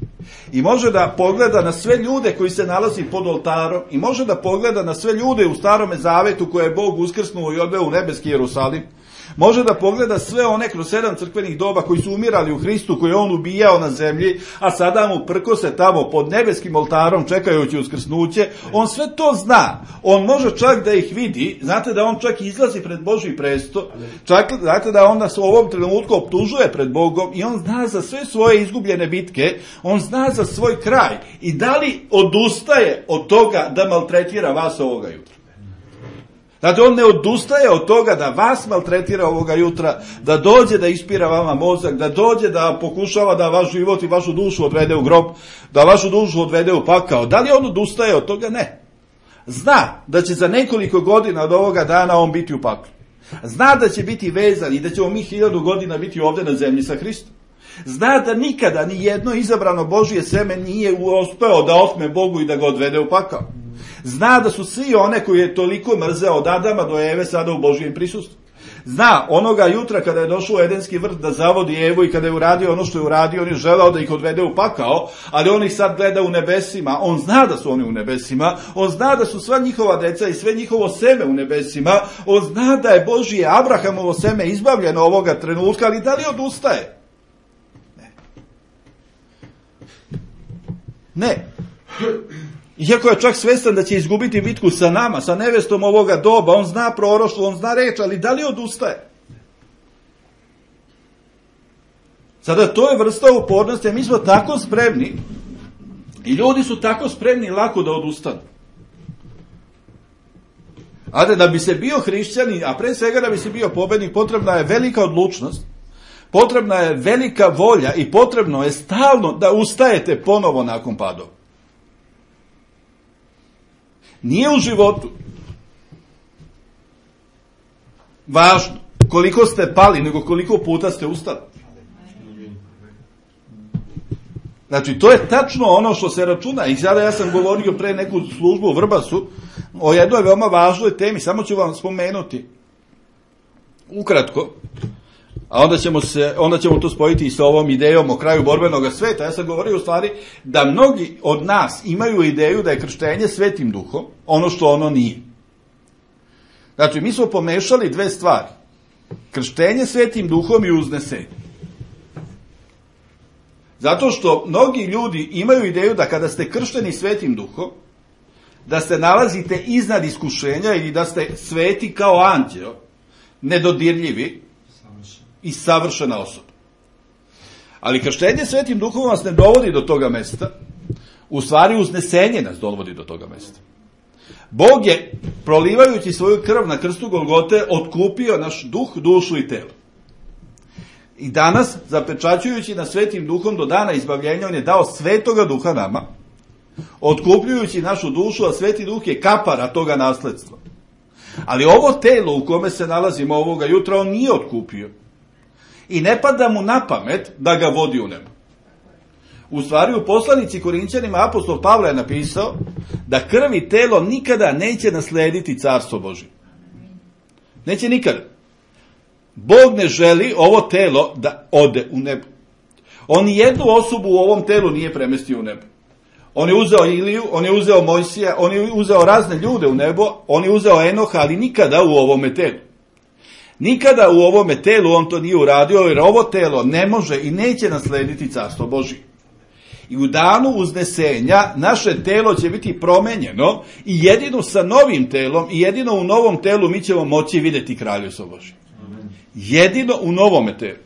I može da pogleda na sve ljude koji se nalazi pod oltarom i može da pogleda na sve ljude u Starome Zavetu koje je Bog uskrsnuo i odveo u nebeski Jerusalim. Može da pogleda sve one kroz sedam crkvenih doba koji su umirali u Hristu, koje on ubijao na zemlji, a sada mu prkose tamo pod nebeskim oltarom čekajući uskrsnuće. On sve to zna. On može čak da ih vidi. Znate da on čak izlazi pred Božji presto. Čak, znate da on nas u ovom trenutku optužuje pred Bogom i on zna za sve svoje izgubljene bitke. On zna za svoj kraj. I da li odustaje od toga da maltretira vas ovoga jutra? Znate, on ne odustaje od toga da vas maltretira ovoga jutra, da dođe da ispira vama mozak, da dođe da pokušava da vaš život i vašu dušu odvede u grob, da vašu dušu odvede u pakao. Da li on odustaje od toga? Ne. Zna da će za nekoliko godina od ovoga dana on biti u paklu. Zna da će biti vezan i da ćemo mi hiljadu godina biti ovde na zemlji sa Hristom. Zna da nikada ni jedno izabrano Božje seme nije uspeo da otme Bogu i da ga odvede u pakao. Zna da su svi one koji je toliko mrzeo od Adama do Eve sada u Božjem prisustvu. Zna onoga jutra kada je došao u Edenski vrt da zavodi Evu i kada je uradio ono što je uradio, on je želeo da ih odvede u pakao, ali on ih sad gleda u nebesima. On zna da su oni u nebesima, on zna da su sva njihova deca i sve njihovo seme u nebesima, on zna da je Božje Abrahamovo seme izbavljeno ovoga trenutka, ali da li odustaje? Ne. Ne. Iako je čak svestan da će izgubiti bitku sa nama, sa nevestom ovoga doba, on zna proroštvo, on zna reč, ali da li odustaje? Sada to je vrsta upornosti, a mi smo tako spremni i ljudi su tako spremni lako da odustanu. A da bi se bio hrišćanin, a pre svega da bi se bio pobednik, potrebna je velika odlučnost, potrebna je velika volja i potrebno je stalno da ustajete ponovo nakon padova. Nije u životu važno koliko ste pali, nego koliko puta ste ustali. Znači, to je tačno ono što se računa. I sada ja sam govorio pre neku službu u Vrbasu o jednoj veoma važnoj temi. Samo ću vam spomenuti ukratko, a onda ćemo, se, onda ćemo to spojiti i sa ovom idejom o kraju borbenog sveta. Ja sam govorio u stvari da mnogi od nas imaju ideju da je krštenje Svetim Duhom ono što ono nije. Znači, mi smo pomešali dve stvari. Krštenje Svetim Duhom i uznesenje. Zato što mnogi ljudi imaju ideju da kada ste kršteni Svetim Duhom, da se nalazite iznad iskušenja ili da ste sveti kao anđeo, nedodirljivi i savršena osoba. Ali krštenje Svetim Duhom vas ne dovodi do toga mesta, u stvari uznesenje nas dovodi do toga mesta. Bog je, prolivajući svoju krv na krstu Golgote, otkupio naš duh, dušu i telo. I danas, zapečaćujući nas Svetim Duhom do dana izbavljenja, on je dao Svetoga Duha nama, otkupljujući našu dušu, a Sveti Duh je kapara toga nasledstva. Ali ovo telo u kome se nalazimo ovoga jutra, on nije otkupio. I ne pada mu na pamet da ga vodi u nebo. U stvari, u poslanici Korinćanima apostol Pavle je napisao da krv i telo nikada neće naslediti carstvo Božje. Neće nikada. Bog ne želi ovo telo da ode u nebo. On jednu osobu u ovom telu nije premestio u nebo. On je uzeo Iliju, on je uzeo Mojsija, on je uzeo razne ljude u nebo, on je uzeo Enoha, ali nikada u ovome telu. Nikada u ovome telu on to nije uradio, jer ovo telo ne može i neće naslediti carstvo Božje. I u danu uznesenja naše telo će biti promenjeno i jedino sa novim telom i jedino u novom telu mi ćemo moći vidjeti Kraljevstvo Božje. Jedino u novome telu.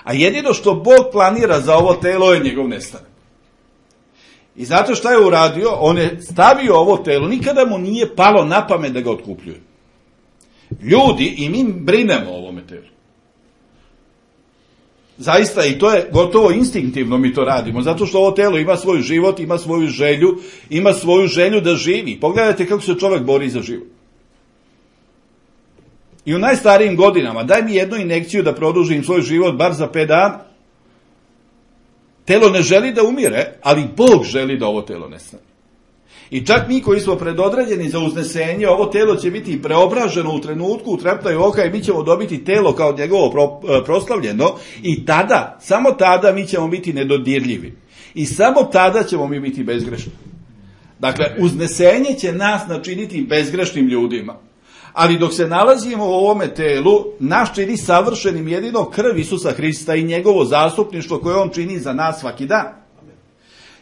A jedino što Bog planira za ovo telo je njegov nestanak. I znate šta je uradio? On je stavio ovo telo, nikada mu nije palo na pamet da ga otkupljuje. Ljudi, i mi brinemo o ovome telu. Zaista, i to je gotovo instinktivno mi to radimo, zato što ovo telo ima svoj život, ima svoju želju, ima svoju želju da živi. Pogledajte kako se čovjek bori za život. I u najstarijim godinama, daj mi jednu injekciju da produžim svoj život bar za pet dana. Telo ne želi da umire, ali Bog želi da ovo telo nestane. I čak mi koji smo predodređeni za uznesenje, ovo telo će biti preobraženo u trenutku, u treptaju oka i mi ćemo dobiti telo kao njegovo pro, proslavljeno i tada, samo tada mi ćemo biti nedodirljivi. I samo tada ćemo mi biti bezgrešni. Dakle, uznesenje će nas načiniti bezgrešnim ljudima. Ali dok se nalazimo u ovome telu, nas čini savršenim jedino krv Isusa Hrista i njegovo zastupništvo koje on čini za nas svaki dan.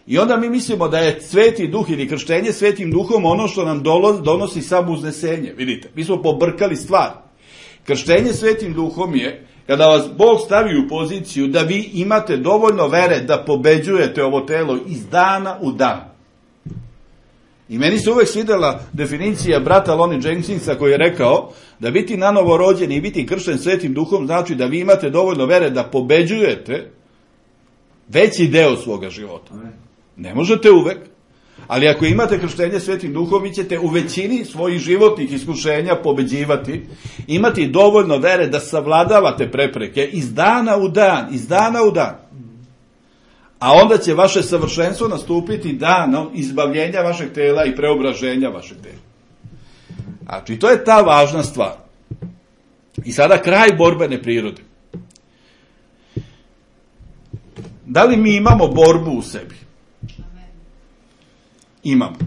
I onda mi mislimo da je Sveti Duh ili krštenje Svetim Duhom ono što nam donosi samo uznesenje. Vidite, mi smo pobrkali stvar. Krštenje Svetim Duhom je kada vas Bog stavi u poziciju da vi imate dovoljno vere da pobeđujete ovo telo iz dana u dan. I meni se uvek svidela definicija brata Lonnie Jenkinsa koji je rekao da biti nanovo rođen i biti kršten Svetim Duhom znači da vi imate dovoljno vere da pobeđujete veći deo svoga života. Ne možete uvek, ali ako imate krštenje Svetim Duhom, vi ćete u većini svojih životnih iskušenja pobeđivati, imati dovoljno vere da savladavate prepreke iz dana u dan, iz dana u dan. A onda će vaše savršenstvo nastupiti danom izbavljenja vašeg tela i preobraženja vašeg tela. Znači, to je ta važna stvar. I sada kraj borbene prirode. Da li mi imamo borbu u sebi? Imamo.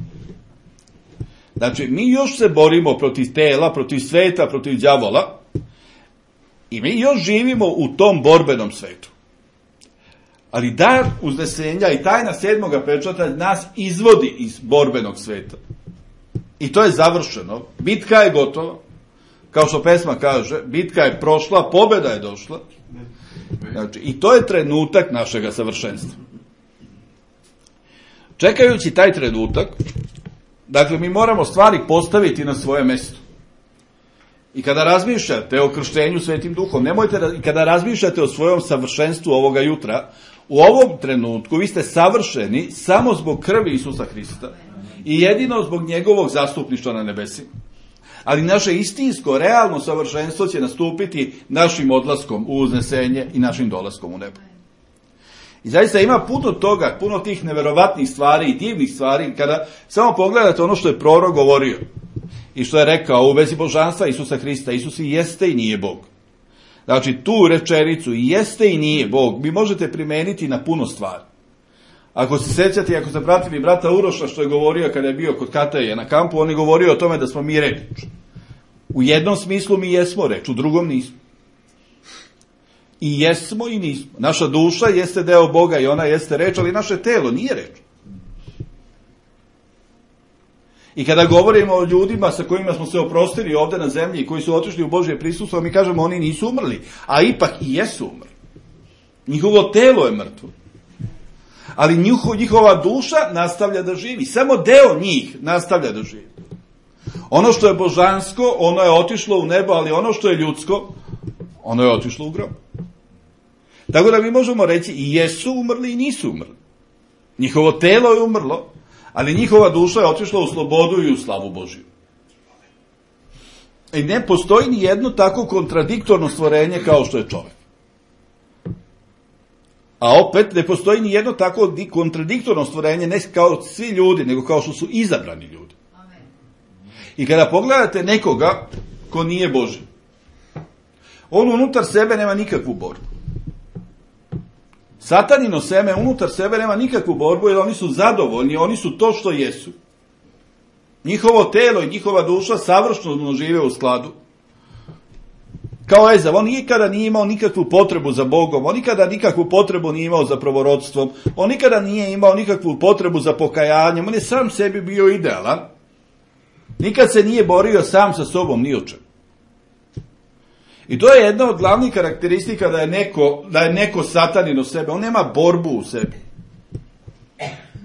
Znači, mi još se borimo protiv tela, protiv sveta, protiv đavola i mi još živimo u tom borbenom svetu. Ali dar uznesenja i tajna sedmoga pečata nas izvodi iz borbenog sveta. I to je završeno. Bitka je gotova. Kao što pesma kaže, bitka je prošla, pobjeda je došla. Znači, i to je trenutak našega savršenstva. Čekajući taj trenutak, dakle, mi moramo stvari postaviti na svoje mesto. I kada razmišljate o krštenju Svetim Duhom, nemojte, i kada razmišljate o svojom savršenstvu ovoga jutra, u ovom trenutku vi ste savršeni samo zbog krvi Isusa Hrista i jedino zbog njegovog zastupništva na nebesima. Ali naše istinsko, realno savršenstvo će nastupiti našim odlaskom u uznesenje i našim dolaskom u nebo. I zaista ima puno toga, puno tih neverovatnih stvari i divnih stvari, kada samo pogledate ono što je prorok govorio i što je rekao u vezi božanstva Isusa Hrista. Isus i jeste i nije Bog. Znači, tu rečenicu i jeste i nije Bog vi možete primeniti na puno stvari. Ako se sećate, ako ste pratili brata Uroša što je govorio kada je bio kod Kataje na kampu, on je govorio o tome da smo mi reč. U jednom smislu mi jesmo reč, u drugom nismo. I jesmo i nismo. Naša duša jeste deo Boga i ona jeste reč, ali naše telo nije reč. I kada govorimo o ljudima sa kojima smo se oprostili ovde na zemlji i koji su otišli u Božje prisustvo, mi kažemo oni nisu umrli, a ipak i jesu umrli. Njihovo telo je mrtvo. Ali njiho, njihova duša nastavlja da živi. Samo deo njih nastavlja da živi. Ono što je božansko, ono je otišlo u nebo, ali ono što je ljudsko, ono je otišlo u grob. Tako da mi možemo reći i jesu umrli i nisu umrli. Njihovo telo je umrlo, ali njihova duša je otišla u slobodu i u slavu Božiju. I ne postoji ni jedno tako kontradiktorno stvorenje kao što je čovjek. A opet ne postoji ni jedno tako kontradiktorno stvorenje, ne kao svi ljudi, nego kao što su izabrani ljudi. I kada pogledate nekoga ko nije Božji, on unutar sebe nema nikakvu borbu. Satanino seme unutar sebe nema nikakvu borbu, jer oni su zadovoljni, oni su to što jesu. Njihovo telo i njihova duša savršeno žive u skladu. Kao Ezav, on nikada nije imao nikakvu potrebu za Bogom, on nikada nikakvu potrebu nije imao za proroštvom, on nikada nije imao nikakvu potrebu za pokajanjem, on je sam sebi bio idealan. Nikad se nije borio sam sa sobom ni o čemu. I to je jedna od glavnih karakteristika da je neko, da je neko satanino sebe. On nema borbu u sebi.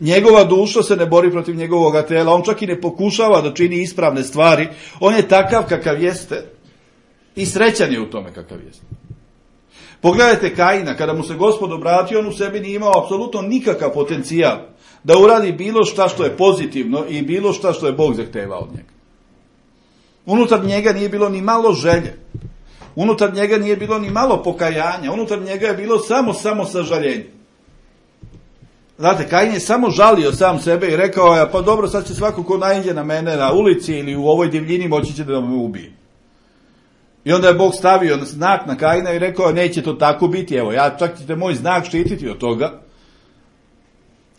Njegova duša se ne bori protiv njegovog tela, on čak i ne pokušava da čini ispravne stvari. On je takav kakav jeste i srećan je u tome kakav jeste. Pogledajte Kaina, kada mu se Gospod obratio, on u sebi nije imao apsolutno nikakav potencijal da uradi bilo šta što je pozitivno i bilo šta što je Bog zahtevao od njega. Unutar njega nije bilo ni malo želje. Unutar njega nije bilo ni malo pokajanja, unutar njega je bilo samo, samo sažaljenje. Znate, Kain je samo žalio sam sebe i rekao je, pa dobro, sad će svako ko naiđe na mene na ulici ili u ovoj divljini moći će da me ubije. I onda je Bog stavio znak na Kaina i rekao, neće to tako biti, evo, ja čak ćete moj znak štititi od toga.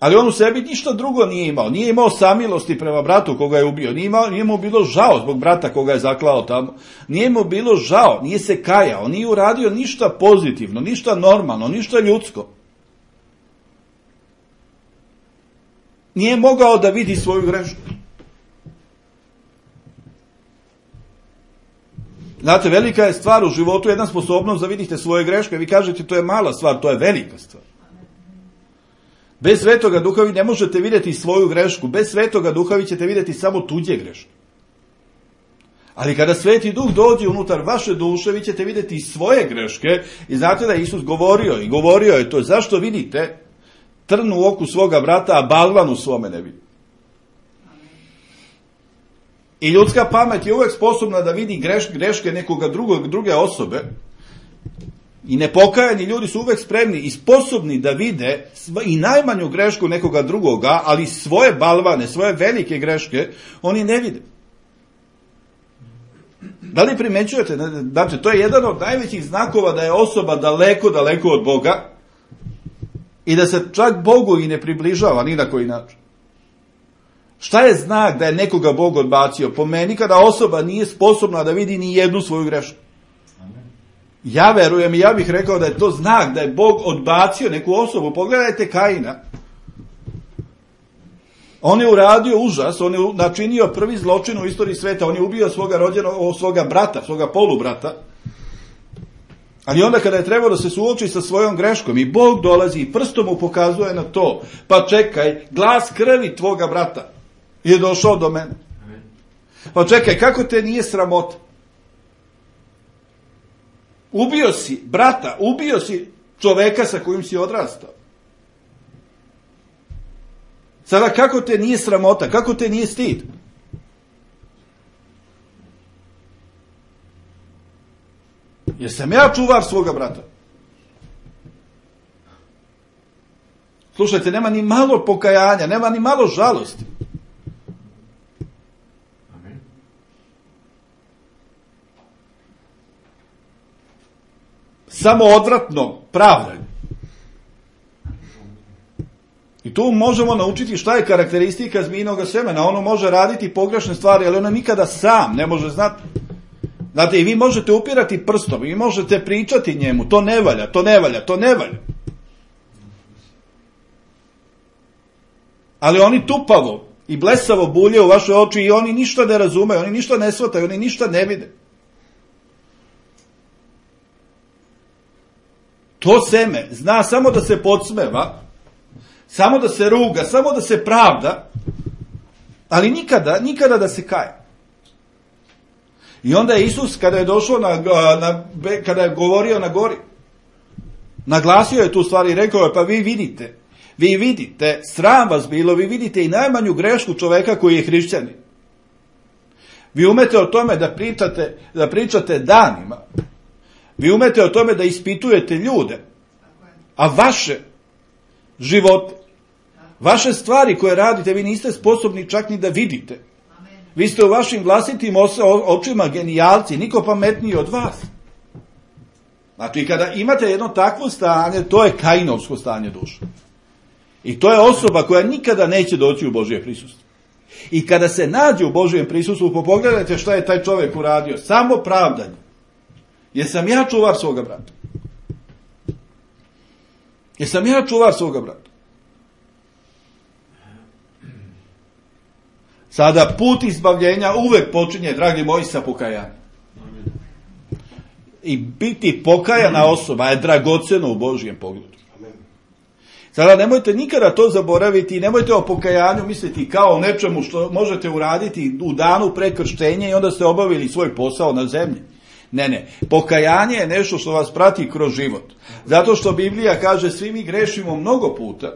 Ali on u sebi ništa drugo nije imao. Nije imao samilosti prema bratu koga je ubio. Nije, imao, nije mu bilo žao zbog brata koga je zaklao tamo. Nije mu bilo žao, nije se kajao, nije uradio ništa pozitivno, ništa normalno, ništa ljudsko. Nije mogao da vidi svoju grešku. Znate, velika je stvar u životu, jedna sposobnost da vidite svoje greške. Vi kažete, to je mala stvar, to je velika stvar. Bez Svetoga Duha vi ne možete vidjeti svoju grešku. Bez Svetoga Duha vi ćete vidjeti samo tuđe greške. Ali kada Sveti Duh dođe unutar vaše duše, vi ćete vidjeti svoje greške. I znate da je Isus govorio, i govorio je to, zašto vidite trn u oku svoga brata, a balvan u svome ne vidi. I ljudska pamet je uvek sposobna da vidi greš, greške nekoga drugog, druge osobe. I nepokajani ljudi su uvek spremni i sposobni da vide i najmanju grešku nekoga drugoga, ali svoje balvane, svoje velike greške, oni ne vide. Da li primećujete? Znači, to je jedan od najvećih znakova da je osoba daleko, daleko od Boga i da se čak Bogu i ne približava ni na koji način. Šta je znak da je nekoga Bog odbacio? Po meni, kada osoba nije sposobna da vidi ni jednu svoju grešku. Ja verujem i ja bih rekao da je to znak da je Bog odbacio neku osobu. Pogledajte Kaina. On je uradio užas, on je načinio prvi zločin u istoriji sveta, on je ubio svoga rođenog, svoga brata, svoga polubrata. Ali onda kada je trebao da se suoči sa svojom greškom i Bog dolazi i prstom mu pokazuje na to, pa čekaj, glas krvi tvoga brata je došao do mene. Pa čekaj, kako te nije sramota? Ubio si brata, ubio si čoveka sa kojim si odrastao. Sada kako te nije sramota, kako te nije stid? Jer sam ja čuvar svoga brata. Slušajte, nema ni malo pokajanja, nema ni malo žalosti. Samo odvratno pravdanje. I tu možemo naučiti šta je karakteristika zmijinog semena. Ono može raditi pogrešne stvari, ali ono nikada sam ne može znati. Znate, i vi možete upirati prstom, vi možete pričati njemu, to ne valja, to ne valja, to ne valja. Ali oni tupavo i blesavo bulje u vaše oči i oni ništa ne razumeju, oni ništa ne shvataju, oni ništa ne vide. To seme zna samo da se podsmeva, samo da se ruga, samo da se pravda, ali nikada, nikada da se kaje. I onda je Isus, kada je došao na, na, kada je govorio na gori, naglasio je tu stvar i rekao je, pa vi vidite, vi vidite, sram vas bilo, vi vidite i najmanju grešku čoveka koji je hrišćanin. Vi umete o tome da pričate, da pričate danima. Vi umete o tome da ispitujete ljude, a vaše živote, vaše stvari koje radite, vi niste sposobni čak ni da vidite. Vi ste u vašim vlastitim očima genijalci, niko pametniji od vas. Znači, kada imate jedno takvo stanje, to je Kainovsko stanje duše. I to je osoba koja nikada neće doći u Božje prisustvo. I kada se nađe u Božjem prisustvu, pogledajte šta je taj čovjek uradio. Samo pravdanje. Jesam ja čuvar svoga brata? Jesam ja čuvar svoga brata? Sada put izbavljenja uvek počinje, dragi moji, sa pokajanjem. I biti pokajana osoba je dragoceno u Božjem pogledu. Sada nemojte nikada to zaboraviti i nemojte o pokajanju misliti kao o nečemu što možete uraditi u danu pre krštenja i onda ste obavili svoj posao na zemlji. Ne, ne. Pokajanje je nešto što vas prati kroz život. Zato što Biblija kaže svi mi grešimo mnogo puta.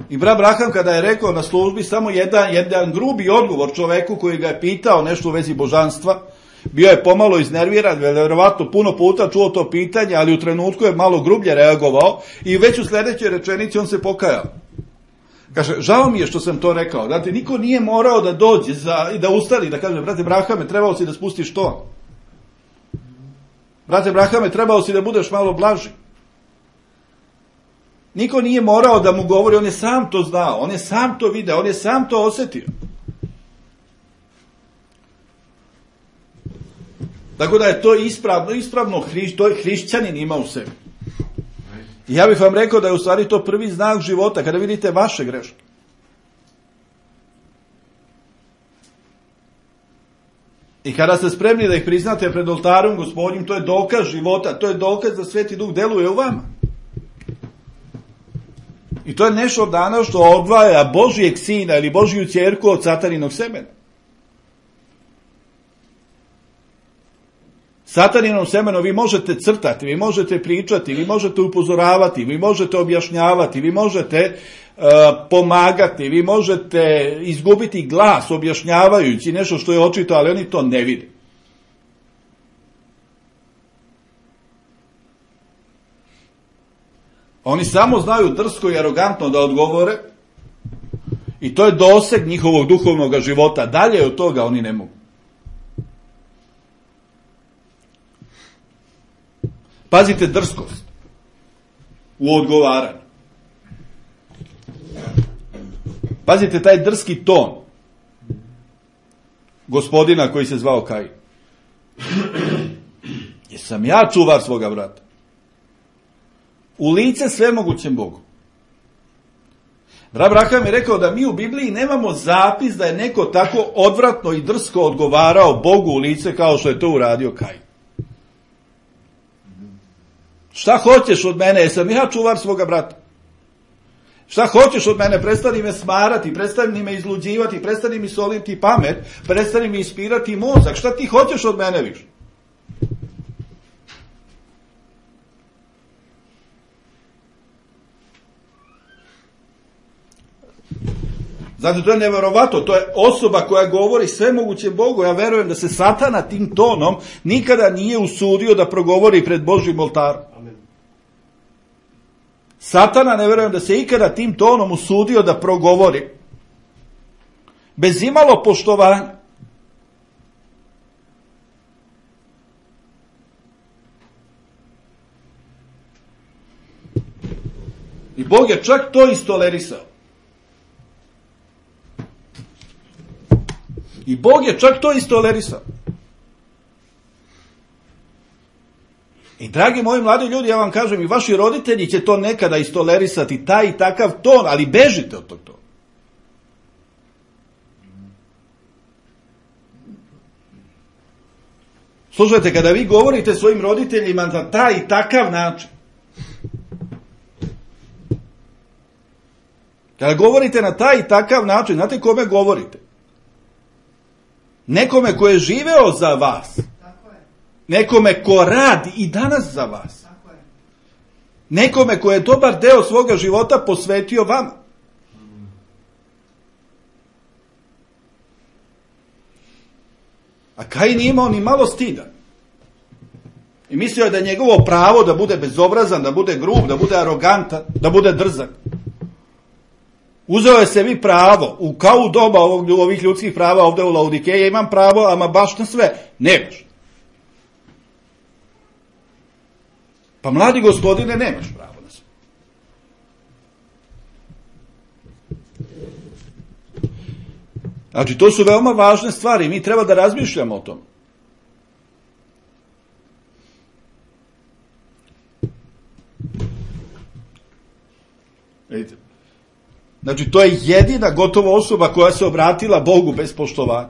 I brat Braham kada je rekao na službi samo jedan, jedan grubi odgovor čoveku koji ga je pitao nešto u vezi božanstva, Bio je pomalo iznerviran, vjerovatno puno puta čuo to pitanje, ali u trenutku je malo grublje reagovao i već u sljedećoj rečenici on se pokajao. Kaže, žao mi je što sam to rekao. Znate, niko nije morao da dođe za, i da ustali, da kaže, brate Brahame, trebao si da spustiš to. Brate Brahame, trebao si da budeš malo blaži. Niko nije morao da mu govori, on je sam to znao, on je sam to video, on je sam to osjetio. Tako da je to ispravno, ispravno hriš, to je hrišćanin ima u sebi. I ja bih vam rekao da je u stvari to prvi znak života, kada vidite vaše greške. I kada ste spremni da ih priznate pred oltarom Gospodnjim, to je dokaz života, to je dokaz da Sveti Duh deluje u vama. I to je nešto danas što odvaja Božijeg sina ili Božiju ćerku od sataninog semena. Sataninom semenom vi možete crtati, vi možete pričati, vi možete upozoravati, vi možete objašnjavati, vi možete uh, pomagati, vi možete izgubiti glas objašnjavajući nešto što je očito, ali oni to ne vide. Oni samo znaju drsko i arogantno da odgovore i to je doseg njihovog duhovnog života. Dalje od toga oni ne mogu. Pazite drskost u odgovaranju. Pazite taj drski ton gospodina koji se zvao Kain. Jesam ja čuvar svoga brata? U lice svemogućem Bogu. Abraham je rekao da mi u Bibliji nemamo zapis da je neko tako odvratno i drsko odgovarao Bogu u lice kao što je to uradio Kain. Šta hoćeš od mene? Jesam ja čuvar svoga brata? Šta hoćeš od mene? Prestani me smarati, prestani me izluđivati, prestani mi soliti pamet, prestani mi ispirati mozak. Šta ti hoćeš od mene više? Znači, to je neverovatno, to je osoba koja govori svemogućem Bogu. Ja verujem da se Satana tim tonom nikada nije usudio da progovori pred Božjim oltarom. Amen. Satana, ne verujem da se ikada tim tonom usudio da progovori bez imalo poštovanja. I Bog je čak to istolerisao. I Bog je čak to istolerisao. I dragi moji mladi ljudi, ja vam kažem, i vaši roditelji će to nekada istolerisati, taj i takav ton, ali bežite od tog tona. Slušajte, kada vi govorite svojim roditeljima na taj i takav način, kada govorite na taj i takav način, znate kome govorite? Nekome ko je živeo za vas. Tako je. Nekome ko radi i danas za vas. Tako je. Nekome ko je dobar deo svoga života posvetio vama. A Kain nije imao ni malo stida. I mislio je da je njegovo pravo da bude bezobrazan, da bude grub, da bude arogantan, da bude drzak. Uzeo je sebi pravo, u kao u doba ovog, ovih ljudskih prava ovdje u Laodikeji, imam pravo, ama baš na sve. Nemaš. Pa mladi gospodine, nemaš pravo na sve. Znači, to su veoma važne stvari. Mi treba da razmišljamo o tom. Vidite. Znači, to je jedina gotova osoba koja se obratila Bogu bez poštovanja.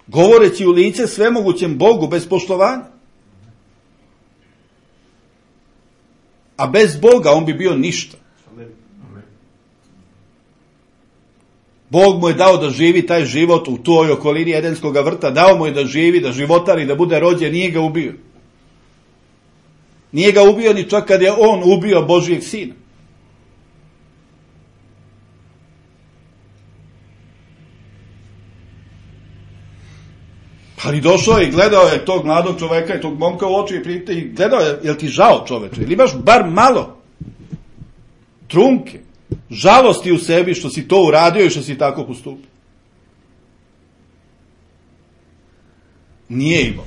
Govoreći u lice svemogućem Bogu bez poštovanja. A bez Boga on bi bio ništa. Bog mu je dao da živi taj život u toj okolini Edenskog vrta, dao mu je da živi, da životari, da bude rođen, nije ga ubio. Nije ga ubio ni čak kad je on ubio Božijeg sina. Ali došao je i gledao je tog mladog čoveka i tog momka u oči i prijete i gledao je, jel ti žao čoveče, ili imaš bar malo trunke, žalosti u sebi što si to uradio i što si tako postupio. Nije imao.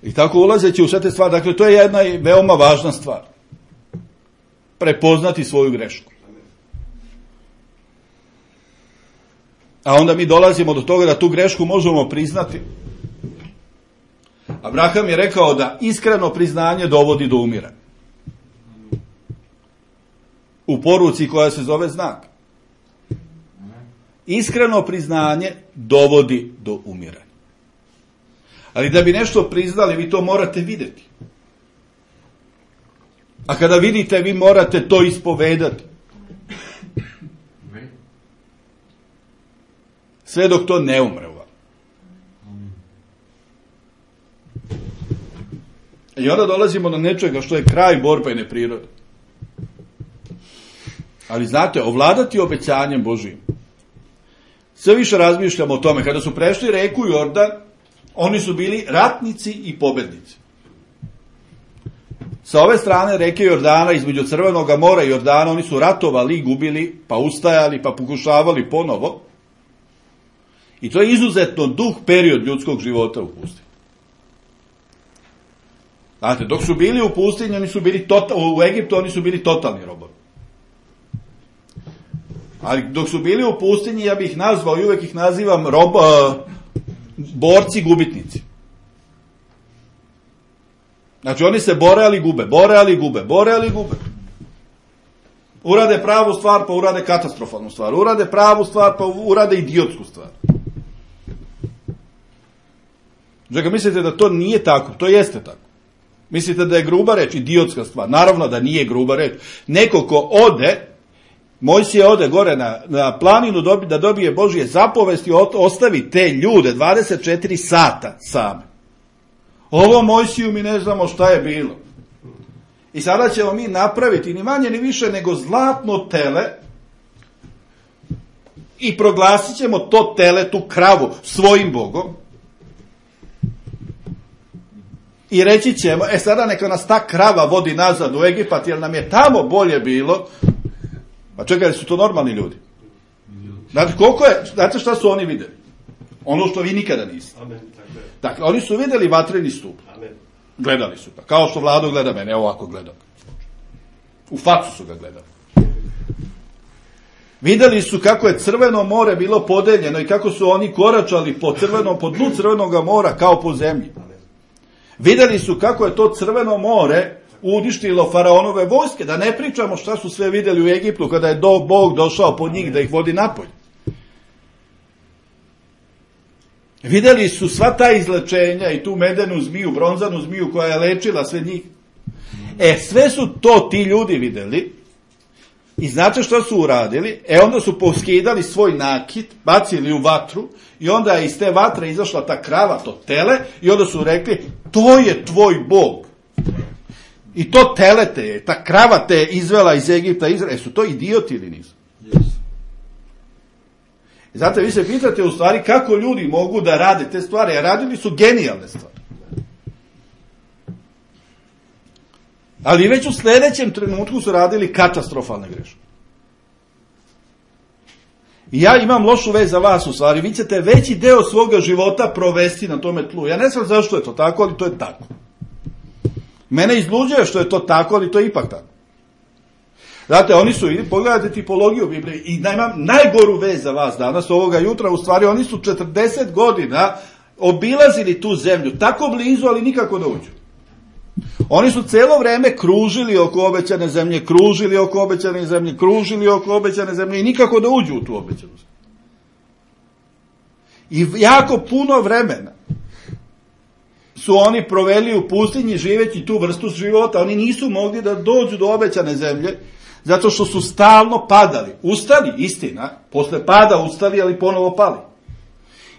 I tako ulazeći u sve te stvari, dakle to je jedna veoma važna stvar. Prepoznati svoju grešku. A onda mi dolazimo do toga da tu grešku možemo priznati. Abraham je rekao da iskreno priznanje dovodi do umiranja. U poruci koja se zove znak. Iskreno priznanje dovodi do umiranja. Ali da bi nešto priznali, vi to morate vidjeti. A kada vidite, vi morate to ispovedati. Sve dok to ne umre u vam. I onda dolazimo do nečega što je kraj borbene prirode. Ali znate, ovladati obećanjem Božijim. Sve više razmišljamo o tome. Kada su prešli reku Jordan, oni su bili ratnici i pobednici. Sa ove strane reke Jordana, između Crvenog mora i Jordana, oni su ratovali, gubili, pa ustajali, pa pokušavali ponovo. I to je izuzetno dug period ljudskog života u pustinji. Znate, dok su bili u pustinji, oni su bili tota, u Egiptu, oni su bili totalni robovi. Ali dok su bili u pustinji, ja bih ih nazvao i uvek ih nazivam rob, uh, borci gubitnici. Znači oni se bore ali gube, bore ali gube, bore ali gube. Urade pravu stvar pa urade katastrofalnu stvar, urade pravu stvar pa urade idiotsku stvar. Čekaj, mislite da to nije tako? To jeste tako. Mislite da je gruba reč idiotska stvar? Naravno da nije gruba reč. Neko ko ode, Mojsije ode gore na, na planinu dobi, da dobije Božje zapovesti, ostavi te ljude dvadeset četiri sata same. Ovo Mojsiju mi ne znamo šta je bilo. I sada ćemo mi napraviti ni manje ni više nego zlatno tele i proglasit ćemo to tele, tu kravu, svojim Bogom. I reći ćemo, e sada neka nas ta krava vodi nazad u Egipat, jer nam je tamo bolje bilo. Pa čekaj, su to normalni ljudi? Znate, koliko je, znate šta su oni vidjeli? Ono što vi nikada niste. Amen, tako je. Dakle, oni su vidjeli vatreni stup. Amen. Gledali su ga. Kao što Vlado gleda mene, evo ovako gledam. U facu su ga gledali. Vidjeli su kako je Crveno more bilo podeljeno i kako su oni koračali po crvenom, po dnu Crvenog mora kao po zemlji. Vidjeli su kako je to Crveno more uništilo faraonove vojske, da ne pričamo šta su sve vidjeli u Egiptu kada je do, Bog došao po njih da ih vodi napolje. Vidjeli su sva ta izlečenja i tu medenu zmiju, bronzanu zmiju koja je lečila sve njih. E, sve su to ti ljudi vidjeli i znate šta su uradili? E, onda su poskidali svoj nakit, bacili u vatru i onda je iz te vatre izašla ta krava, to tele, i onda su rekli, to je tvoj Bog. I to tele te je, ta krava te je izvela iz Egipta, Izraela. E, su to idioti ili nisu? Yes. Znate, vi se pitate u stvari kako ljudi mogu da rade te stvari, a radili su genijalne stvari. Ali već u sljedećem trenutku su radili katastrofalne greške. I ja imam lošu vez za vas u stvari, vi ćete veći deo svoga života provesti na tome tlu. Ja ne znam zašto je to tako, ali to je tako. Mene izluđuje što je to tako, ali to je ipak tako. Znate, oni su, pogledajte tipologiju Biblije, i imam najgoru vez za vas danas, ovoga jutra, u stvari oni su četrdeset godina obilazili tu zemlju, tako blizu, ali nikako da uđu. Oni su cijelo vrijeme kružili oko obećane zemlje, kružili oko obećane zemlje, kružili oko obećane zemlje i nikako da uđu u tu obećanu zemlju. I jako puno vremena su oni proveli u pustinji živeći tu vrstu života. Oni nisu mogli da dođu do obećane zemlje, zato što su stalno padali. Ustali, istina, posle pada ustali, ali ponovo pali.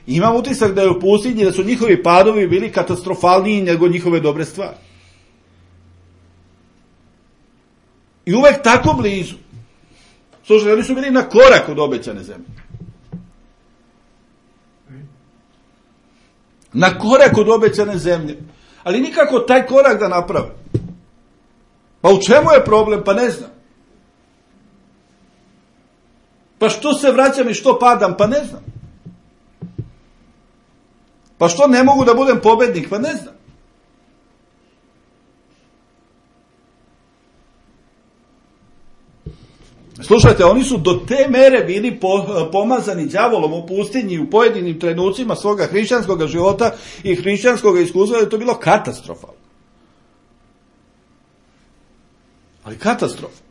I imam utisak da je u pustinji, da su njihovi padovi bili katastrofalniji nego njihove dobre stvari. I uvek tako blizu. Slušajte, oni su bili na korak od obećane zemlje. Na korak od obećane zemlje. Ali nikako taj korak da naprave. Pa u čemu je problem? Pa ne znam. Pa što se vraćam i što padam? Pa ne znam. Pa što ne mogu da budem pobednik? Pa ne znam. Slušajte, oni su do te mere bili po, pomazani đavolom u pustinji u pojedinim trenucima svoga hrišćanskog života i hrišćanskog iskustva da je to bilo katastrofalno. Ali katastrofa.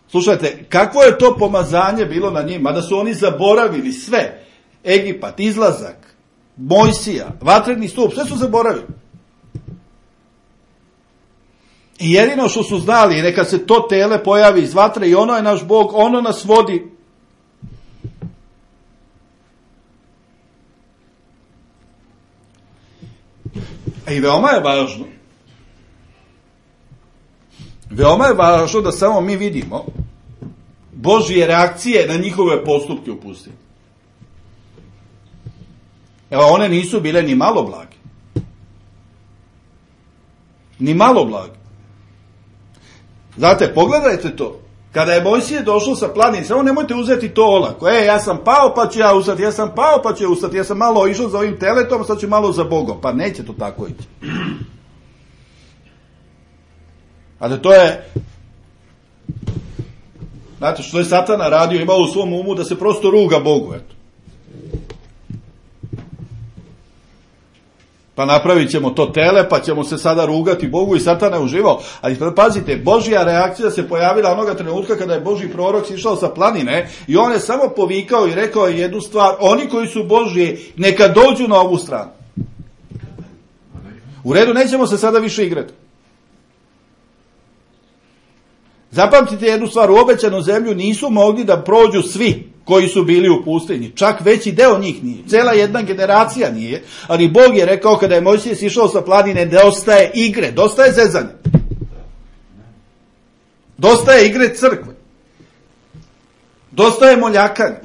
Slušajte, kakvo je to pomazanje bilo na njima, da su oni zaboravili sve. Egipat, izlazak, Mojsija, vatreni stup, sve su zaboravili. I jedino što su znali, neka se to tele pojavi iz vatre i ono je naš Bog, ono nas vodi. I veoma je važno, veoma je važno da samo mi vidimo Božje reakcije na njihove postupke u pustinji. Evo, one nisu bile ni malo blage. Ni malo blage. Znate, pogledajte to. Kada je Mojsije došao sa planine, samo nemojte uzeti to olako. E, ja sam pao pa ću ja ustati, ja sam pao pa ću ja ustati, ja sam malo išao za ovim teletom, sad ću malo za Bogom. Pa neće to tako ići. Ali to je, znate što je Satana radio, imao u svom umu da se prosto ruga Bogu, eto. Pa napravit ćemo to tele, pa ćemo se sada rugati Bogu i Satana je uživao. Ali pazite, Božja reakcija se pojavila onoga trenutka kada je Božji prorok išao sa planine i on je samo povikao i rekao jednu stvar, oni koji su Božji, neka dođu na ovu stranu. U redu, nećemo se sada više igrati. Zapamtite jednu stvar, u obećanu zemlju nisu mogli da prođu svi koji su bili u pustinji. Čak veći deo njih nije. Cela jedna generacija nije. Ali Bog je rekao kada je Mojsije sišao sa planine da ostaje igre, dosta je zezanja. Dosta je igre crkve. Dosta je moljakanja.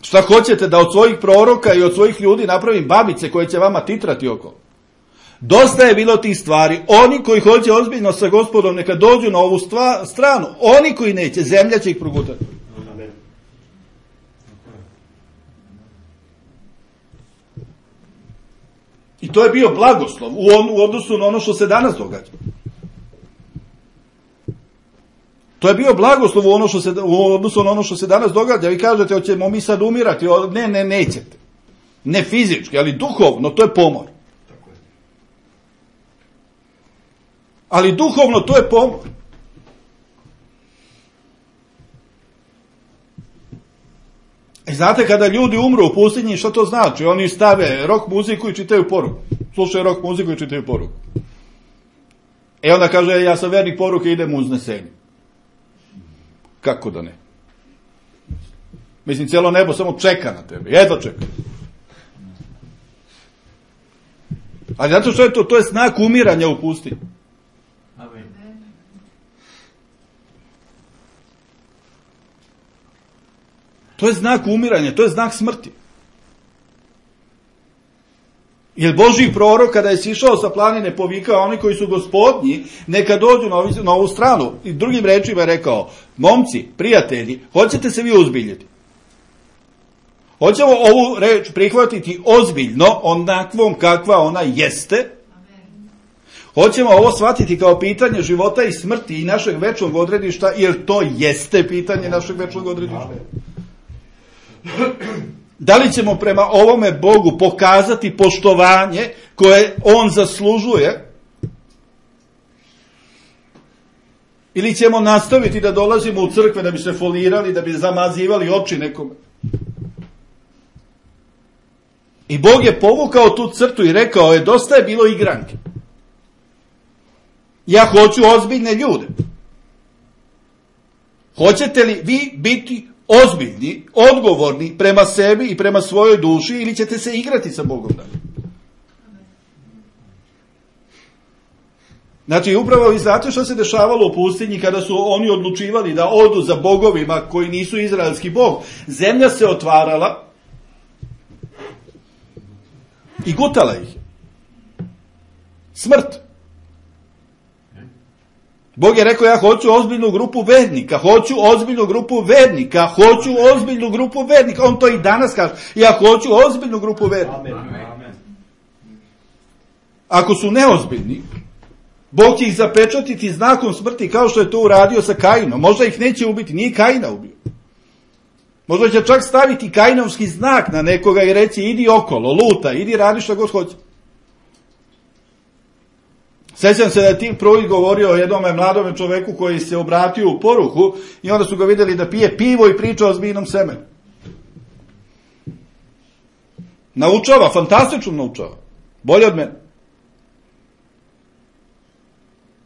Šta hoćete da od svojih proroka i od svojih ljudi napravim babice koje će vama titrati oko? Dosta je bilo tih stvari. Oni koji hoće ozbiljno sa Gospodom neka dođu na ovu stva, stranu. Oni koji neće, zemlja će ih progutati. I to je bio blagoslov u, on, u odnosu na ono što se danas događa. To je bio blagoslov u, ono što se, u odnosu na ono što se danas događa. Vi kažete, hoćemo mi sad umirati. Ne, ne, nećete. Ne fizički, ali duhovno, to je pomor. Ali duhovno to je pomor. E znate, kada ljudi umru u pustinji, što to znači? Oni stave rock muziku i čitaju poruku. Slušaju rock muziku i čitaju poruku. E onda kaže, ja sam vernik poruke, idem u uznesenje. Kako da ne? Mislim, cijelo nebo samo čeka na tebe. Jedva čeka. Ali zato što je to? To je znak umiranja u pustinji. To je znak umiranja, to je znak smrti. Jer Božji prorok kada je sišao sa planine povikao oni koji su gospodnji, neka dođu na, ovu, na ovu stranu. I drugim rečima je rekao, momci, prijatelji, hoćete se vi uzbiljiti? Hoćemo ovu reč prihvatiti ozbiljno, onakvom kakva ona jeste? Hoćemo ovo shvatiti kao pitanje života i smrti i našeg večnog odredišta, jer to jeste pitanje našeg večnog odredišta. Da li ćemo prema ovome Bogu pokazati poštovanje koje on zaslužuje? Ili ćemo nastaviti da dolazimo u crkve da bi se folirali, da bi zamazivali oči nekome? I Bog je povukao tu crtu i rekao je, dosta je bilo igranke. Ja hoću ozbiljne ljude. Hoćete li vi biti ozbiljni, odgovorni prema sebi i prema svojoj duši, ili ćete se igrati sa Bogom dalje? Znači, upravo vi znate što se dešavalo u pustinji kada su oni odlučivali da odu za bogovima koji nisu izraelski bog. Zemlja se otvarala i gutala ih. Smrt. Bog je rekao, ja hoću ozbiljnu grupu vernika, hoću ozbiljnu grupu vernika, hoću ozbiljnu grupu vernika. On to i danas kaže, ja hoću ozbiljnu grupu vernika. Amen. Ako su neozbiljni, Bog će ih zapečatiti znakom smrti kao što je to uradio sa Kainom. Možda ih neće ubiti, nije Kaina ubio. Možda će čak staviti Kainovski znak na nekoga i reći idi okolo, luta, idi radi što god hoće. Sjećam se da je Tim Pruitt govorio o jednom mladome čoveku koji se obratio u poruku i onda su ga vidjeli da pije pivo i priča o zmijnom semenu. Naučava, fantastično naučava. Bolje od mene.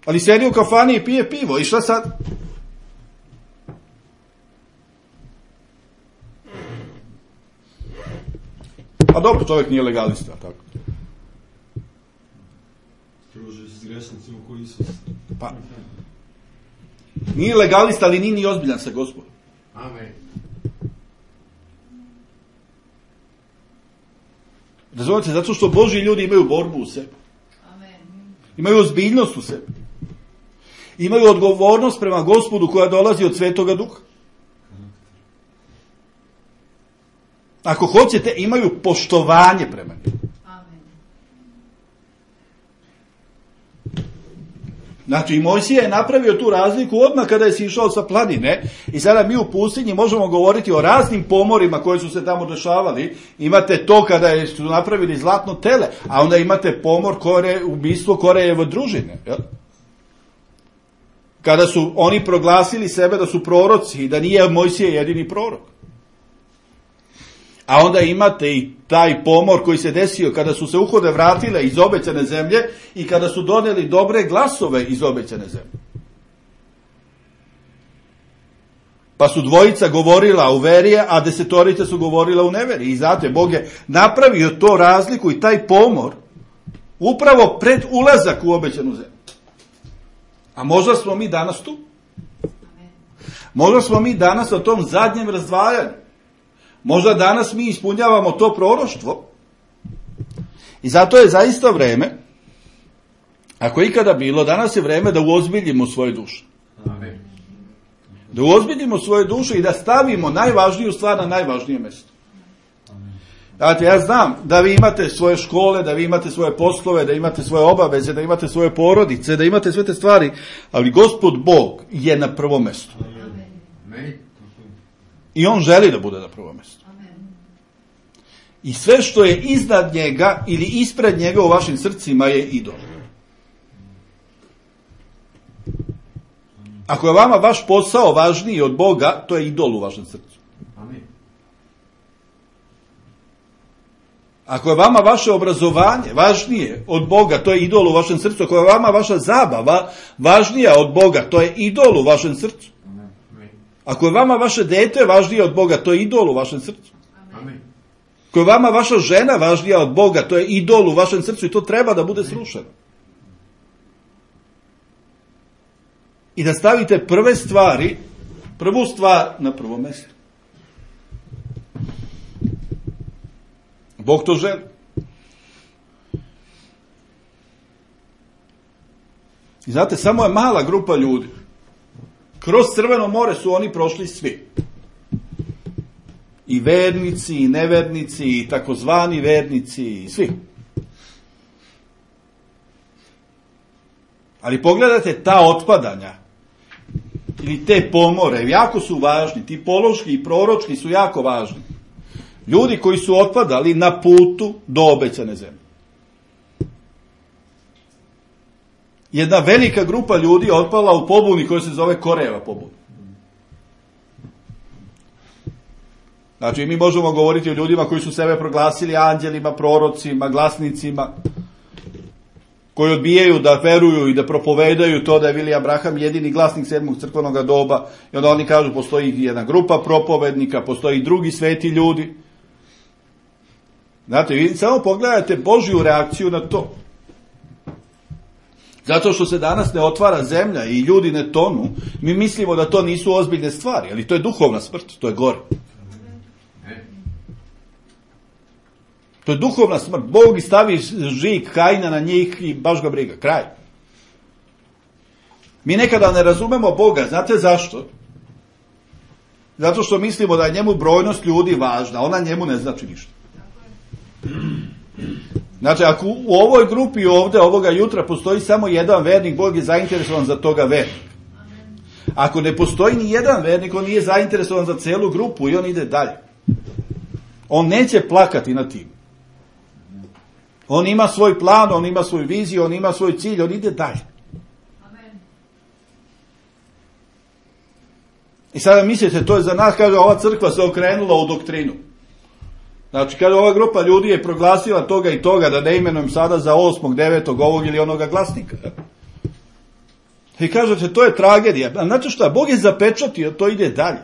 Ali sjedi u kafani i pije pivo. I šta sad? A dobro, čovjek nije legalista, tako. Druži se s grešnicima koji Isus. Pa. Nije legalista, ali nije ni ozbiljan sa Gospodom. Amen. Razumite, zato što Božji ljudi imaju borbu u sebi. Imaju ozbiljnost u sebi. Imaju odgovornost prema Gospodu koja dolazi od Svetoga Duha. Ako hoćete, imaju poštovanje prema njemu. Znači, i Mojsije je napravio tu razliku odmah kada je sišao sa planine i sada mi u pustinji možemo govoriti o raznim pomorima koji su se tamo dešavali. Imate to kada je, su napravili zlatno tele, a onda imate pomor Kore, ubistvo Korejeve družine. Jel? Kada su oni proglasili sebe da su proroci i da nije Mojsije jedini prorok. A onda imate i taj pomor koji se desio kada su se uhode vratile iz obećane zemlje i kada su doneli dobre glasove iz obećane zemlje. Pa su dvojica govorila u veri, a desetorica su govorila u neveri. I znate, Bog je napravio to razliku i taj pomor upravo pred ulazak u obećanu zemlju. A možda smo mi danas tu. Možda smo mi danas na tom zadnjem razdvajanju. Možda danas mi ispunjavamo to proroštvo i zato je zaista vreme, ako je ikada bilo, danas je vreme da uozbiljimo svoje duše. Amen. Da uozbiljimo svoje duše i da stavimo najvažniju stvar na najvažnije mjesto. Dakle, ja znam da vi imate svoje škole, da vi imate svoje poslove, da imate svoje obaveze, da imate svoje porodice, da imate sve te stvari, ali Gospod Bog je na prvom mjestu. Amen. I on želi da bude na prvom mjestu. I sve što je iznad njega ili ispred njega u vašim srcima je idol. Ako je vama vaš posao važniji od Boga, to je idol u vašem srcu. Ako je vama vaše obrazovanje važnije od Boga, to je idol u vašem srcu. Ako je vama vaša zabava važnija od Boga, to je idol u vašem srcu. Ako je vama vaše dete važnije od Boga, to je idol u vašem srcu. Amen. Ako je vama vaša žena važnija od Boga, to je idol u vašem srcu i to treba da bude srušeno. I da stavite prve stvari, prvu stvar na prvo mjesto. Bog to želi. I znate, samo je mala grupa ljudi. Kroz Crveno more su oni prošli svi. I vernici, i nevernici, i takozvani vernici, i svi. Ali pogledajte ta otpadanja, ili te pomore, jako su važni, ti pološki i proročki su jako važni. Ljudi koji su otpadali na putu do obećane zemlje. Jedna velika grupa ljudi je otpala u pobuni koja se zove Korejeva pobuna. Znači, mi možemo govoriti o ljudima koji su sebe proglasili anđelima, prorocima, glasnicima. koji odbijaju da veruju i da propovedaju to da je Vili Abraham jedini glasnik sedmog crkvenog doba, i onda oni kažu postoji jedna grupa propovednika, postoji drugi sveti ljudi. Znate, vi samo pogledajte Božju reakciju na to. Zato što se danas ne otvara zemlja i ljudi ne tonu, mi mislimo da to nisu ozbiljne stvari, ali to je duhovna smrt, to je gore. To je duhovna smrt. Bog stavi žig Kaina na njih i baš ga briga. Kraj. Mi nekada ne razumemo Boga. Znate zašto? Zato što mislimo da je njemu brojnost ljudi važna. Ona njemu ne znači ništa. Znači, ako u ovoj grupi ovde, ovoga jutra, postoji samo jedan vernik, Bog je zainteresovan za toga vernika. Ako ne postoji ni jedan vernik, on nije zainteresovan za celu grupu i on ide dalje. On neće plakati na tim. On ima svoj plan, on ima svoju viziju, on ima svoj cilj, on ide dalje. Amen. I sada mislite, to je za nas, kaže, ova crkva se okrenula u doktrinu. Znači, kaže, ova grupa ljudi je proglasila toga i toga, da ne imenujem sada za osmog, devetog, ovog ili onoga glasnika. I kažete, to je tragedija. A znate šta, Bog je zapečatio, to ide dalje.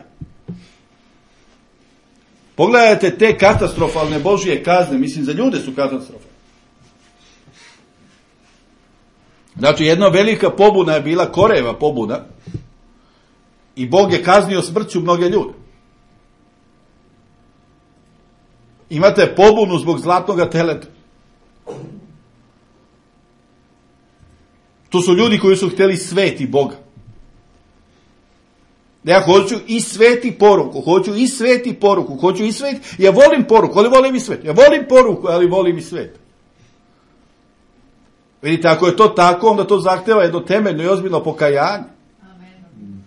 Pogledajte te katastrofalne Božije kazne, mislim, za ljude su katastrofalne. Znači, jedna velika pobuna je bila Korejeva pobuna i Bog je kaznio smrću mnoge ljude. Imate pobunu zbog zlatnog teleta. To su ljudi koji su htjeli sveti Boga. Ja hoću i sveti poruku, hoću i sveti poruku, hoću i sveti, ja volim poruku, ali volim i svet. Ja volim poruku, ali volim i svet. Vidite, ako je to tako, onda to zahteva jedno temeljno i ozbiljno pokajanje. Amen.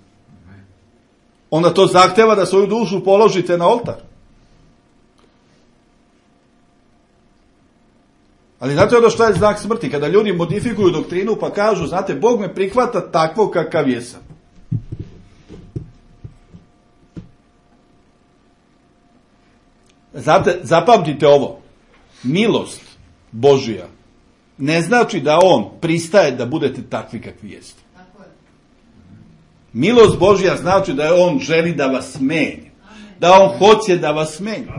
Onda to zahteva da svoju dušu položite na oltar. Ali znate onda što je znak smrti? Kada ljudi modifikuju doktrinu pa kažu, znate, Bog me prihvata takvo kakav jesam. Znate, zapamtite ovo. Milost Božija ne znači da on pristaje da budete takvi kakvi jeste. Milost Božja znači da je on želi da vas menja. Da on hoće da vas menja.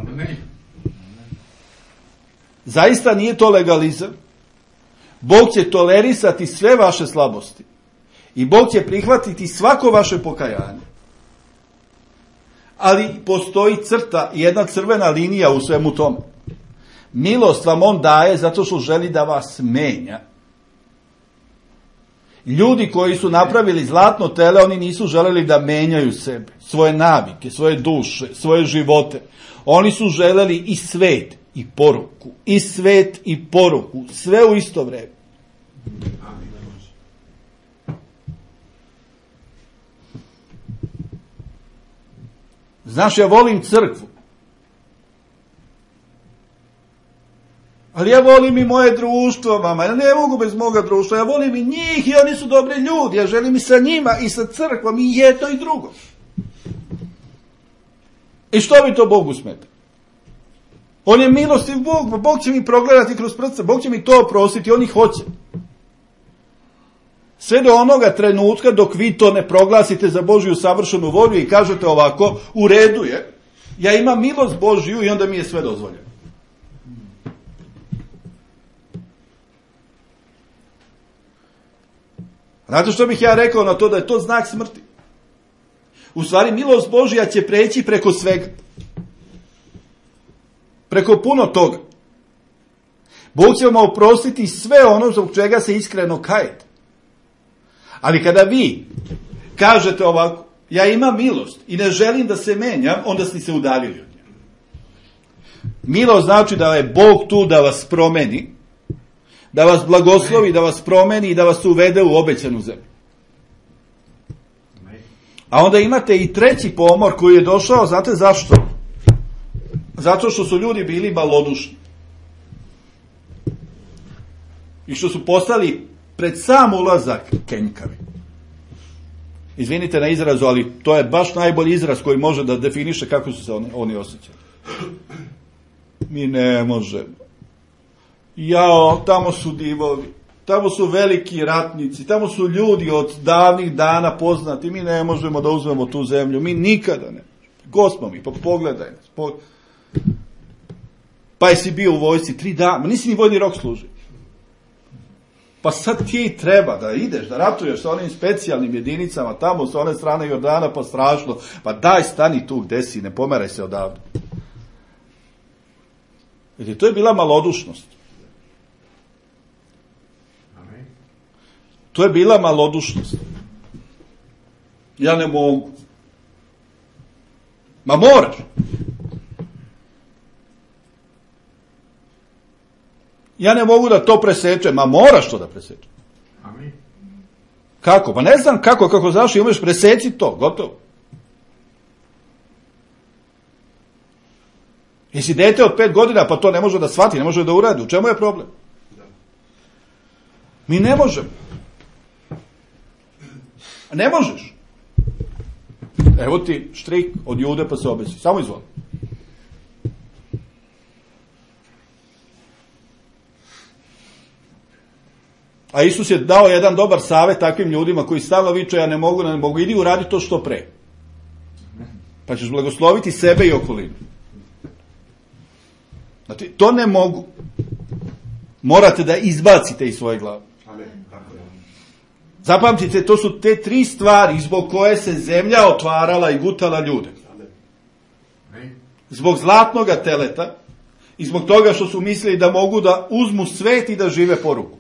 Zaista nije to legalizam. Bog će tolerisati sve vaše slabosti. I Bog će prihvatiti svako vaše pokajanje. Ali postoji crta, jedna crvena linija u svemu tome. Milost vam on daje zato što želi da vas menja. Ljudi koji su napravili zlatno tele, oni nisu želeli da menjaju sebe, svoje navike, svoje duše, svoje živote. Oni su želeli i svet i poruku, i svet i poruku, sve u isto vreme. Znaš, ja volim crkvu. Ali ja volim i moje društvo, mama. Ja ne mogu bez moga društva. Ja volim i njih i oni su dobri ljudi. Ja želim i sa njima i sa crkvom i jedno i drugo. I što bi to Bogu smeta? On je milostiv Bog. Bog će mi progledati kroz prste. Bog će mi to oprostiti. On ih hoće. Sve do onoga trenutka dok vi to ne proglasite za Božju savršenu volju i kažete ovako, u redu je, ja imam milost Božju i onda mi je sve dozvoljeno. Znate što bih ja rekao na to da je to znak smrti? U stvari, milost Božja će preći preko svega. Preko puno toga. Bog će vam oprostiti sve ono zbog čega se iskreno kajete. Ali kada vi kažete ovako, ja imam milost i ne želim da se menjam, onda ste se udaljili od nje. Milost znači da je Bog tu da vas promeni, da vas blagoslovi, da vas promeni i da vas uvede u obećanu zemlju. A onda imate i treći pomor koji je došao, znate zašto? Zato što su ljudi bili malodušni. I što su postali pred sam ulazak kenjkavi. Izvinite na izrazu, ali to je baš najbolji izraz koji može da definiše kako su se oni, oni osjećali. Mi ne možemo. Jao, tamo su divovi. tamo su veliki ratnici, tamo su ljudi od davnih dana poznati, mi ne možemo da uzmemo tu zemlju, mi nikada ne. Gospod mi, pa pogledaj nas. Pog... Pa jesi bio u vojsci tri dana, ma nisi ni vojni rok služio. Pa sad ti treba da ideš, da ratuješ sa onim specijalnim jedinicama tamo sa one strane Jordana, pa strašno. Pa daj, stani tu gde si, ne pomeraj se odavde. Jer to je bila malodušnost. To je bila malodušnost. Ja ne mogu. Ma moraš. Ja ne mogu da to presečem, ma moraš to da presečem. Amin. Kako? Pa ne znam kako, kako znaš, imaš preseci to, gotovo. Jesi dete od pet godina, pa to ne može da shvati, ne može da uradi. U čemu je problem? Mi ne možemo. Ne možeš. Evo ti štrik od Jude pa se obesi. Samo izvoli. A Isus je dao jedan dobar savjet takvim ljudima koji stalno viču ja ne mogu, ne mogu, idi uradi to što pre. Pa ćeš blagosloviti sebe i okolinu. Znači, to ne mogu. Morate da izbacite iz svoje glave. Zapamtite, to su te tri stvari zbog koje se zemlja otvarala i gutala ljude. Zbog zlatnoga teleta i zbog toga što su mislili da mogu da uzmu svet i da žive po ruku.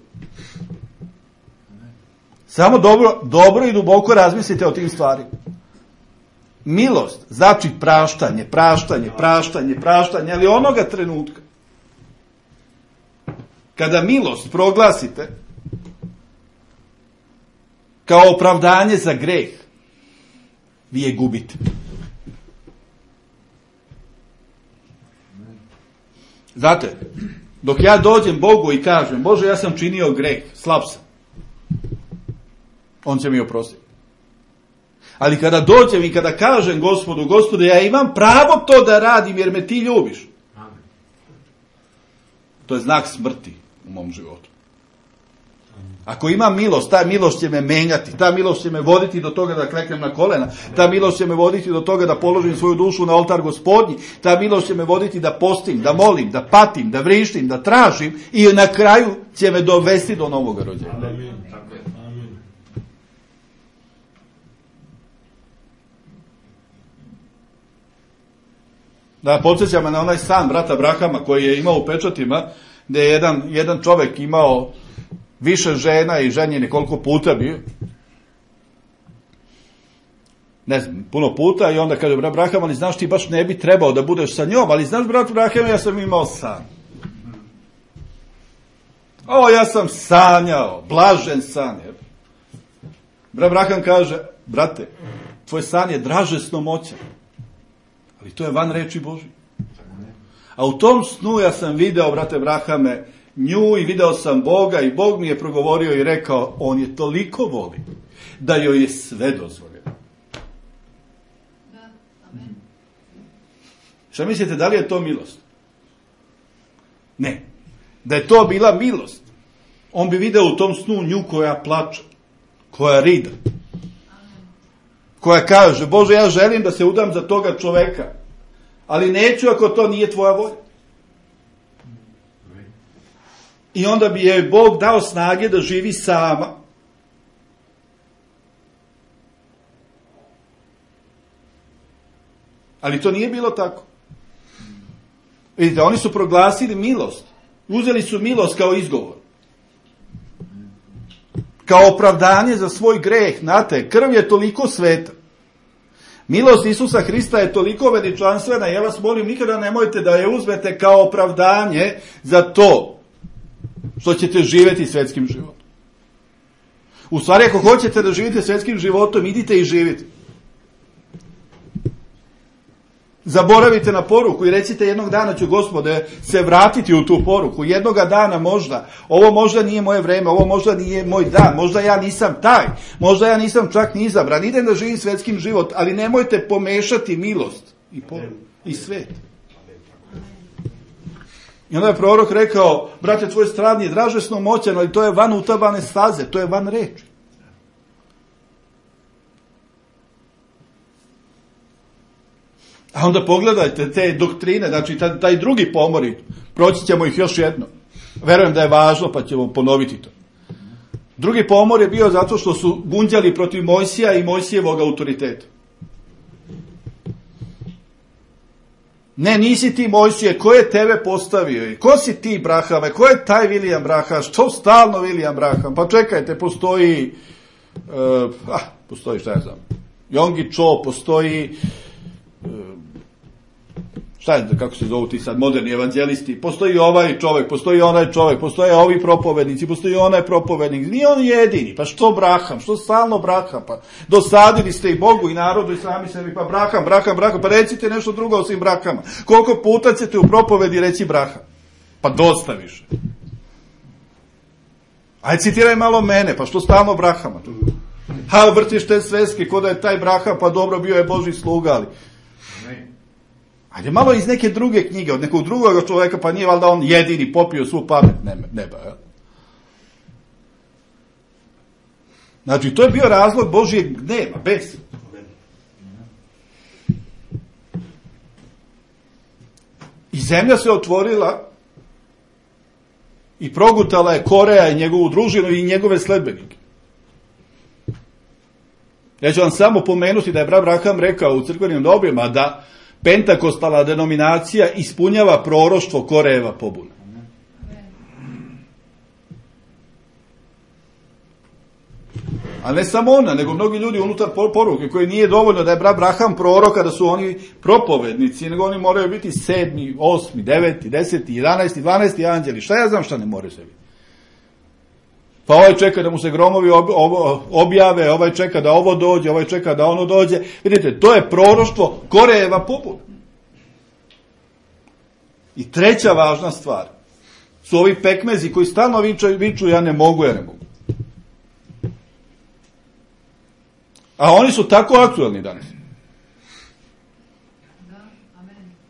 Samo dobro, dobro i duboko razmislite o tim stvarima. Milost znači praštanje, praštanje, praštanje, praštanje, ali onoga trenutka kada milost proglasite kao opravdanje za greh, vi je gubite. Znate, dok ja dođem Bogu i kažem, Bože, ja sam činio greh, slab sam, on će mi oprostiti. Ali kada dođem i kada kažem Gospodu, Gospode, ja imam pravo to da radim jer me ti ljubiš, to je znak smrti u mom životu. Ako imam milost, ta milost će me menjati, ta milost će me voditi do toga da kleknem na kolena, ta milost će me voditi do toga da položim svoju dušu na oltar Gospodnji, ta milost će me voditi da postim, da molim, da patim, da vrištim, da tražim i na kraju će me dovesti do novog rođenja. Amin. Amin. Da, podsjeća me na onaj san brata Brahama koji je imao u pečatima, gde je jedan, jedan čovek imao više žena i ženjeni koliko puta bio. Ne znam, puno puta i onda kaže, brat Braham, ali znaš ti baš ne bi trebao da budeš sa njom, ali znaš, brat Braham, ja sam imao san. O, ja sam sanjao, blažen san. Brat Braham kaže, brate, tvoj san je dražesno moćan, ali to je van reči Božje. A u tom snu ja sam video, brate Brahame, nju i video sam Boga i Bog mi je progovorio i rekao, on je toliko voli da joj je sve dozvoljeno. Šta mislite, da li je to milost? Ne. Da je to bila milost, on bi video u tom snu nju koja plače, koja rida, koja kaže, Bože, ja želim da se udam za toga čoveka, ali neću ako to nije tvoja volja. I onda bi je Bog dao snage da živi sama. Ali to nije bilo tako. Vidite, oni su proglasili milost. Uzeli su milost kao izgovor. Kao opravdanje za svoj greh. Znate, krv je toliko sveta. Milost Isusa Hrista je toliko veličanstvena. Ja vas molim, nikada nemojte da je uzmete kao opravdanje za to što ćete živjeti svetskim životom. U stvari, ako hoćete da živite svetskim životom, idite i živite. Zaboravite na poruku i recite, jednog dana ću, Gospode, se vratiti u tu poruku. Jednoga dana možda. Ovo možda nije moje vreme, ovo možda nije moj dan, možda ja nisam taj, možda ja nisam čak ni izabran. Idem da živim svetskim život, ali nemojte pomešati milost i poruku i svet. I onda je prorok rekao, brate, tvoje stradnje dražesno moćan, ali to je van utabane staze, to je van reči. A onda pogledajte te doktrine, znači taj, taj drugi pomori, proći ćemo ih još jedno. Verujem da je važno, pa ćemo ponoviti to. Drugi pomor je bio zato što su gunđali protiv Mojsija i Mojsijevog autoriteta. Ne, nisi ti Mojsije, ko je tebe postavio? Ko si ti, Brahame? Ko je taj William Braham? Što stalno William Braham? Pa čekajte, postoji, uh, ah, postoji šta ja znam, Yonggi Cho, postoji, uh, šta je, kako se zovu ti sad moderni evanđelisti, postoji ovaj čovjek, postoji onaj čovjek, postoje ovi propovednici, postoji onaj propovednik, nije on jedini, pa što Braham, što stalno Braham, pa dosadili ste i Bogu i narodu i sami sebi, pa Braham, Braham, Braham, pa recite nešto drugo osim Brahama. Koliko puta ćete u propovedi reći Braham? Pa dosta više. Ajde citiraj malo mene, pa što stalno Brahama? Ha, vrtiš te sveske, ko da je taj Braham, pa dobro, bio je Božji sluga, ali... Ajde malo iz neke druge knjige, od nekog drugog čovjeka, pa nije valjda on jedini popio svu pamet neba. Ja? Znači, to je bio razlog Božijeg gneva, bes. I zemlja se otvorila i progutala je Koreja i njegovu družinu i njegove sledbenike. Ja ću vam samo pomenuti da je brat Braham rekao u crkvenim dobima da pentakostalna denominacija ispunjava proroštvo Korejeva pobuna. A ne samo ona, nego mnogi ljudi unutar poruke, koji nije dovoljno da je brat Braham proroka, da su oni propovednici, nego oni moraju biti sedmi, osmi, deveti, deseti, jedanaesti, dvanaesti anđeli. Šta ja znam šta ne more se biti? Pa ovaj čeka da mu se gromovi ob, ob, objave, ovaj čeka da ovo dođe, ovaj čeka da ono dođe. Vidite, to je proroštvo Korejeva pobuna. I treća važna stvar su ovi pekmezi koji stalno viču, viču ja ne mogu, ja ne mogu. A oni su tako aktualni danas.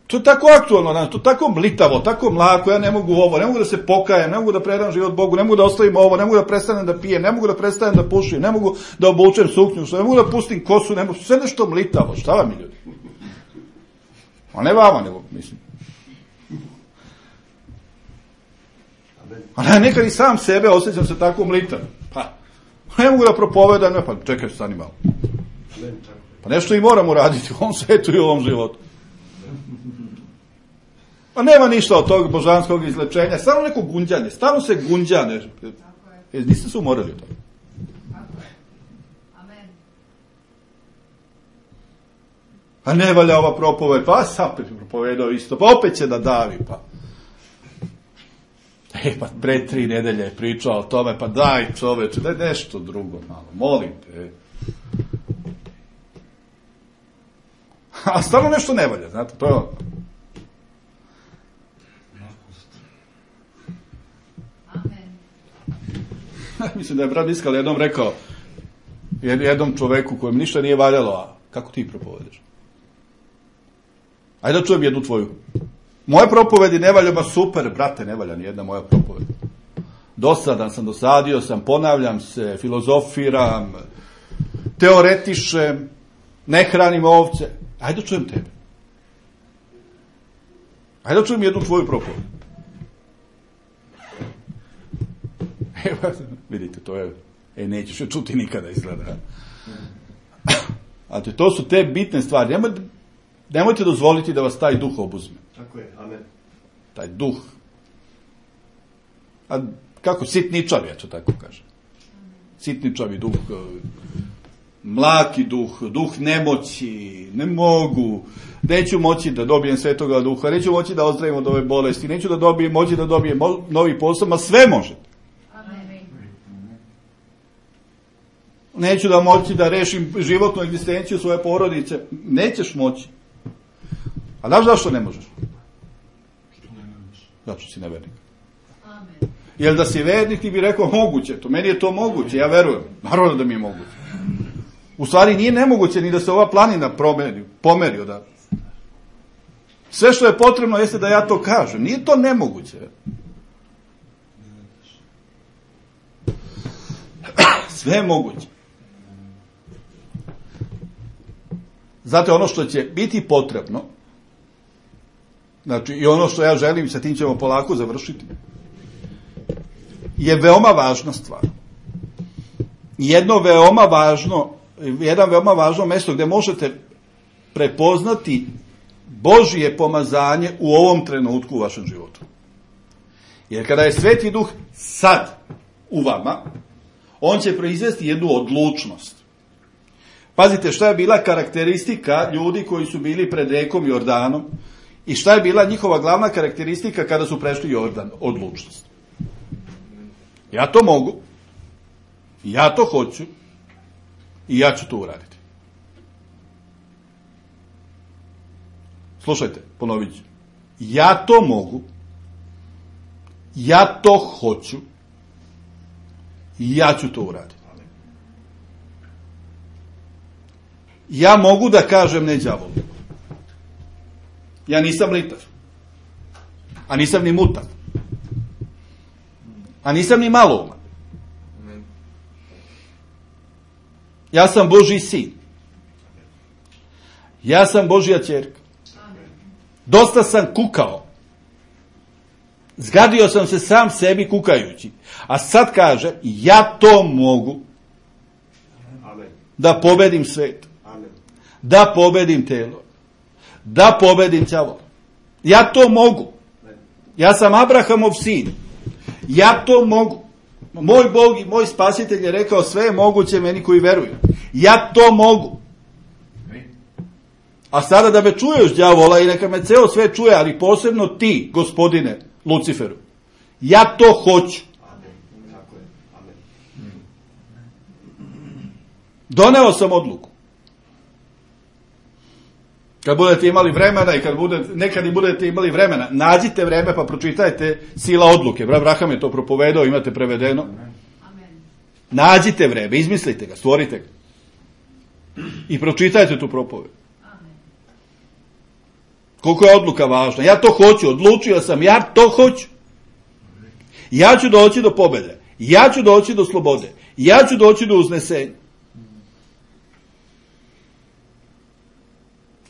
To je tako aktualno danas, to je tako mlitavo, tako mlako, ja ne mogu ovo, ne mogu da se pokajem, ne mogu da predam život Bogu, ne mogu da ostavim ovo, ne mogu da prestanem da pijem, ne mogu da prestanem da pušim, ne mogu da obučem suknju, ne mogu da pustim kosu, ne mogu, sve nešto mlitavo, šta vam je ljudi? A ne vama, nego, mislim. A ne, nekad i sam sebe osjećam se tako mlitav. Pa, ne mogu da propovedam, ne, pa čekaj, stani malo. Pa nešto i moramo raditi u ovom svetu i u ovom životu. Pa nema ništa od tog božanskog izlečenja, samo neko gunđanje, stalno se gunđa nešto. E, niste se umorili od toga. A ne valja ova propoved, pa sam propovedao isto, pa opet će da davi, pa. E, pa pre tri nedelje je pričao o tome, pa daj čoveče, daj nešto drugo malo, molim te. A stvarno nešto ne valja, znate, to je ono. Mislim da je brat Iskal jednom rekao jednom čoveku kojem ništa nije valjalo, a kako ti propovedeš? Ajde da čujem jednu tvoju. Moje propovedi ne valja, ba super, brate, ne valja ni jedna moja propoved. Dosadan sam, dosadio sam, ponavljam se, filozofiram, teoretišem, ne hranim ovce. Ajde da čujem tebe. Ajde da čujem jednu tvoju propoved. Evo, vidite, to je, e, nećeš je čuti nikada izgleda. A to su te bitne stvari. Nemojte, nemojte dozvoliti da vas taj duh obuzme. Tako je, amen. Taj duh. A kako sitničavi, ja ću tako kažem. Sitničavi duh, mlaki duh, duh nemoći, ne mogu, neću moći da dobijem svetoga duha, neću moći da ozdravim od ove bolesti, neću da dobijem, moći da dobijem novi posao, ma sve možete. Neću da moći da rešim životnu egzistenciju svoje porodice. Nećeš moći. A znaš zašto ne možeš? Zato što si nevernik. Jer da si vernik ti bi rekao moguće. To meni je to moguće, ja verujem. Naravno da mi je moguće. U stvari nije nemoguće ni da se ova planina promeri, pomeri odavde. Sve što je potrebno jeste da ja to kažem. Nije to nemoguće. Sve je moguće. Znate, ono što će biti potrebno, znači i ono što ja želim, sa tim ćemo polako završiti, je veoma važna stvar. Jedno veoma važno, jedan veoma važno mesto gde možete prepoznati Božje pomazanje u ovom trenutku u vašem životu. Jer kada je Sveti Duh sad u vama, on će proizvesti jednu odlučnost. Pazite, šta je bila karakteristika ljudi koji su bili pred rekom Jordanom i šta je bila njihova glavna karakteristika kada su prešli Jordan? Odlučnost. Ja to mogu, ja to hoću i ja ću to uraditi. Slušajte, ponovit ću. Ja to mogu, ja to hoću i ja ću to uraditi. Ja mogu da kažem ne đavolu. Ja nisam litav. A nisam ni mutav. A nisam ni malouman. Ja sam Božji sin. Ja sam Božja ćerka. Dosta sam kukao. Zgadio sam se sam sebi kukajući. A sad kaže, ja to mogu da pobedim svet. Da pobedim telo. Da pobedim đavola. Ja to mogu. Ja sam Abrahamov sin. Ja to mogu. Moj Bog i moj spasitelj je rekao sve je moguće meni koji veruju. Ja to mogu. A sada da me čuješ, đavola, i neka me ceo sve čuje, ali posebno ti, gospodine Luciferu. Ja to hoću. Doneo sam odluku. Kad budete imali vremena i kad budete, nekad i budete imali vremena, nađite vreme pa pročitajte Sila odluke. Brat Abraham je to propovedao, imate prevedeno. Amen. Nađite vreme, izmislite ga, stvorite ga. I pročitajte tu propoved. Amen. Koliko je odluka važna. Ja to hoću, odlučio sam, ja to hoću. Ja ću doći do pobjede. Ja ću doći do slobode. Ja ću doći do uznesenja.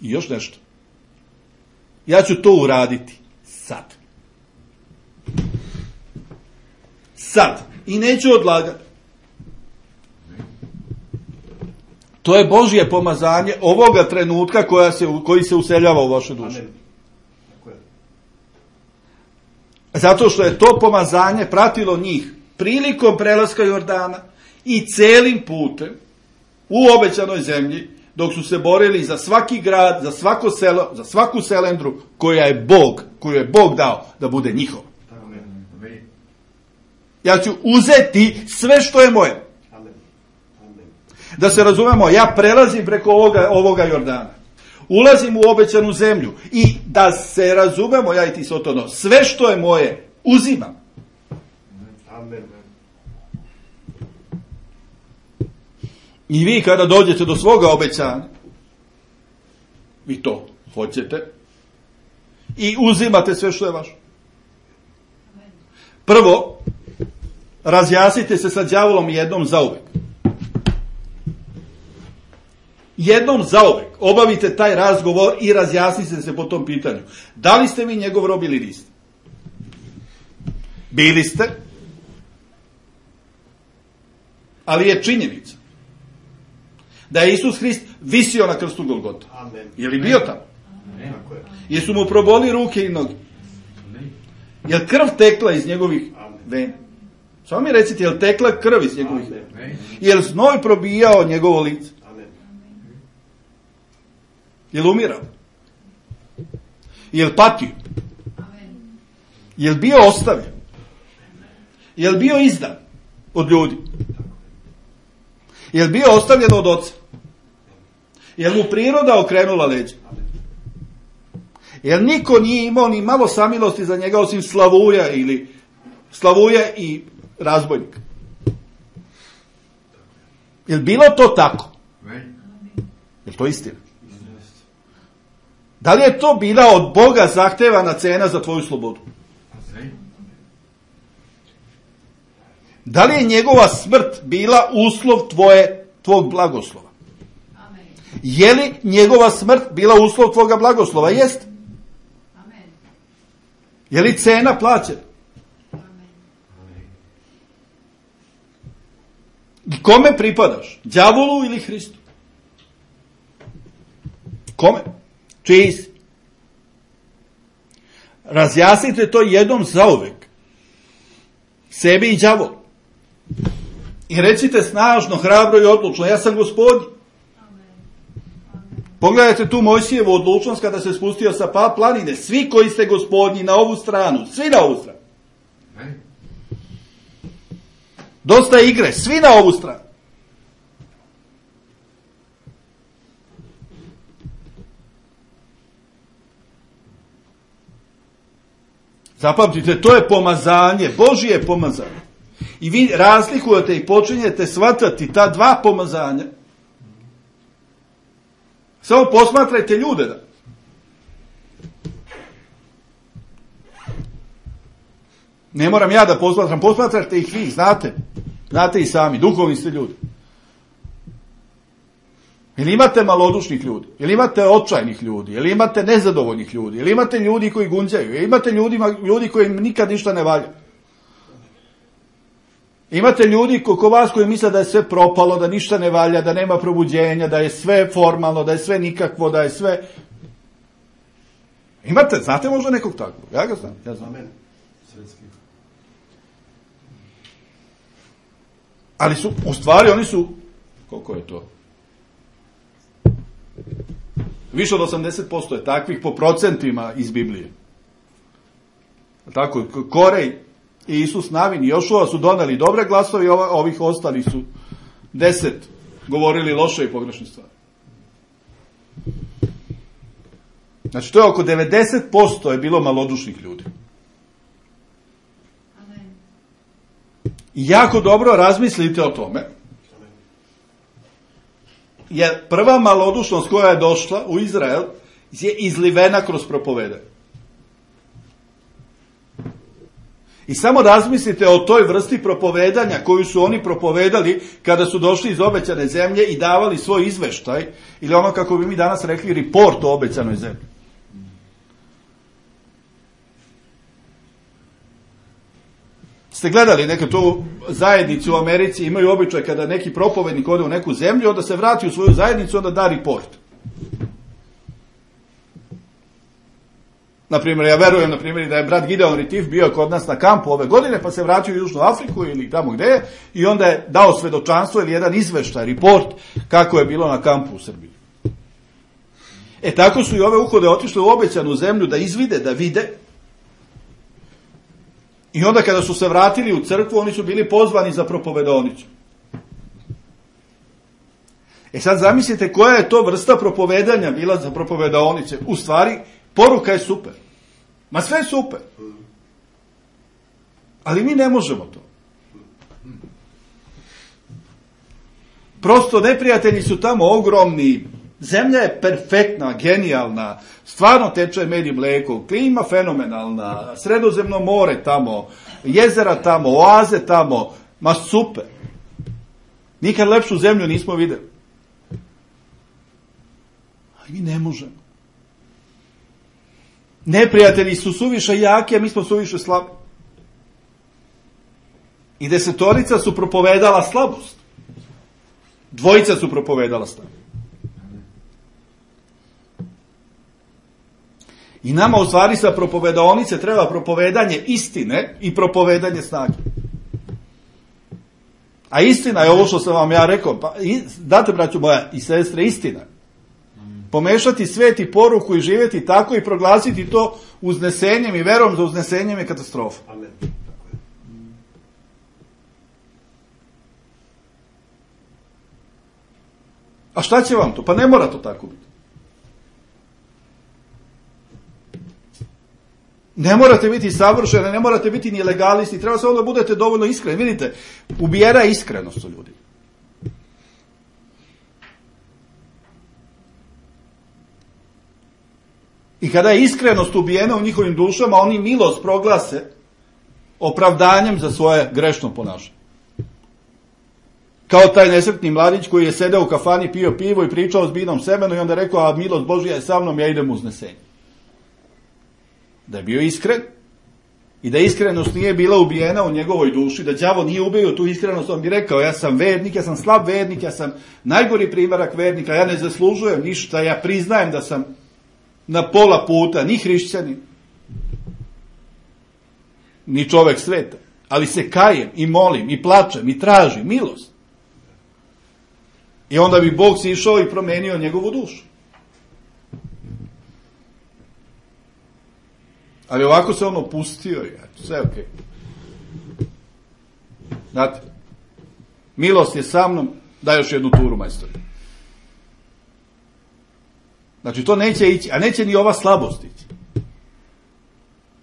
I još nešto. Ja ću to uraditi sad. Sad. I neću odlagati. To je Božje pomazanje ovoga trenutka koja se, koji se useljava u vašu dušu. Zato što je to pomazanje pratilo njih prilikom prelaska Jordana i celim putem u obećanoj zemlji, dok su se borili za svaki grad, za svako selo, za svaku selendru koja je Bog, koju je Bog dao da bude njihov. Ja ću uzeti sve što je moje. Da se razumemo, ja prelazim preko ovoga, ovoga Jordana. Ulazim u obećanu zemlju. I da se razumemo, ja i ti Sotono, sve što je moje, uzimam. I vi kada dođete do svoga obećanja, vi to hoćete i uzimate sve što je vaše. Prvo, razjasnite se sa đavolom jednom zauvek. Jednom zauvek obavite taj razgovor i razjasnite se po tom pitanju. Da li ste vi njegov rob ili niste? Bili ste, ali je činjenica da je Isus Hrist visio na krstu Golgota. Amen. Je li bio tamo? Amen. Jesu mu proboli ruke i noge? Je li krv tekla iz njegovih vena? Samo mi recite, je li tekla krv iz njegovih vena? Je li znoj probijao njegovo lice? Amen. Je li umirao? Je li patio? Amen. Je li bio ostavljen? Je li bio izdan od ljudi? Je li bio ostavljen od oca? Je li mu priroda okrenula leđa? Je li niko nije imao ni malo samilosti za njega osim Slavuja ili Slavuja i razbojnika? Je li bilo to tako? Je li to istina? Da li je to bila od Boga zahtevana cena za tvoju slobodu? Da li je njegova smrt bila uslov tvoje, tvog blagoslova? Amen. Je li njegova smrt bila uslov tvoga blagoslova? Jest. Amen. Je li cena plaćena? Amen. I kome pripadaš? Đavolu ili Hristu? Kome? Čiji si? Razjasnite to jednom zauvek. Sebi i đavolu. I recite snažno, hrabro i odlučno, ja sam Gospodin. Pogledajte tu Mojsijevu odlučnost kada se spustio sa pa planine. Svi koji ste Gospodnji na ovu stranu, svi na ovu stranu. Dosta igre, svi na ovu stranu. Zapamtite, to je pomazanje, Božije pomazanje. I vi razlikujete i počinjete shvatati ta dva pomazanja. Samo posmatrajte ljude. Da. Ne moram ja da posmatram, posmatrajte ih vi, znate. Znate i sami, duhovni ste ljudi. Ili imate malodušnih ljudi, ili imate očajnih ljudi, ili imate nezadovoljnih ljudi, ili imate ljudi koji gunđaju, ili imate ljudi, ljudi koji nikad ništa ne valja. Imate ljudi oko vas koji misle da je sve propalo, da ništa ne valja, da nema probuđenja, da je sve formalno, da je sve nikakvo, da je sve... Imate, znate možda nekog takvog? Ja ga znam. Ja znam. Amen. Ali su, u stvari oni su, koliko je to? Više od osamdeset posto je takvih po procentima iz Biblije. Tako, Korej i Isus Navin i Jošua su doneli dobre glasovi, ovih ostali su deset govorili loše i pogrešne stvari. Znači, to je oko devedeset posto je bilo malodušnih ljudi. Amen. I jako dobro razmislite o tome, jer prva malodušnost koja je došla u Izrael je izlivena kroz propovedanje. I samo razmislite o toj vrsti propovedanja koju su oni propovedali kada su došli iz obećane zemlje i davali svoj izveštaj, ili ono kako bi mi danas rekli report o obećanoj zemlji. Ste gledali neke tu zajednici u Americi, imaju običaj kada neki propovednik ode u neku zemlju, onda se vrati u svoju zajednicu, onda da report. Naprimjer, ja verujem, naprimjer, da je brat Gideon Ritif bio kod nas na kampu ove godine, pa se vratio u Južnu Afriku ili tamo gde je, i onda je dao svedočanstvo ili jedan izveštaj, report, kako je bilo na kampu u Srbiji. E, tako su i ove uhode otišle u obećanu zemlju da izvide, da vide. I onda kada su se vratili u crkvu, oni su bili pozvani za propovedonicu. E sad zamislite koja je to vrsta propovedanja bila za propovedonice. U stvari, poruka je super. Ma sve je super. Ali mi ne možemo to. Prosto neprijatelji su tamo ogromni. Zemlja je perfektna, genijalna. Stvarno teče med i mleko. Klima fenomenalna. Sredozemno more tamo. Jezera tamo. Oaze tamo. Ma super. Nikad lepšu zemlju nismo videli. Ali mi ne možemo. Neprijatelji su suviše jaki, a mi smo suviše slabi. I desetorica su propovedala slabost. Dvojica su propovedala slabost. I nama u stvari sa propovedonice treba propovedanje istine i propovedanje snage. A istina je ovo što sam vam ja rekao. Pa, date, braću moja i sestre, istina. Pomešati svet i poruku i živjeti tako i proglasiti to uznesenjem i verom za uznesenjem je katastrofa. Amen. A šta će vam to? Pa ne mora to tako biti. Ne morate biti savršeni, ne morate biti ni legalisti, treba samo da budete dovoljno iskreni. Vidite, ubijena je iskrenost u ljudi. I kada je iskrenost ubijena u njihovim dušama, oni milost proglase opravdanjem za svoje grešno ponašanje. Kao taj nesretni mladić koji je sedeo u kafani, pio pivo i pričao s binom semenu i onda rekao, a milost Božja je sa mnom, ja idem u uznesenje. Da je bio iskren i da iskrenost nije bila ubijena u njegovoj duši, da đavo nije ubio tu iskrenost, on bi rekao, ja sam vernik, ja sam slab vernik, ja sam najgori primjerak vernika, ja ne zaslužujem ništa, ja priznajem da sam na pola puta, ni hrišćanin, ni čovek sveta, ali se kajem i molim i plačem i tražim milost. I onda bi Bog si išao i promenio njegovu dušu. Ali ovako se on opustio i eto, sve okej. Okay. Znate, milost je sa mnom, daj još jednu turu, majstori. Znači, to neće ići, a neće ni ova slabost ići.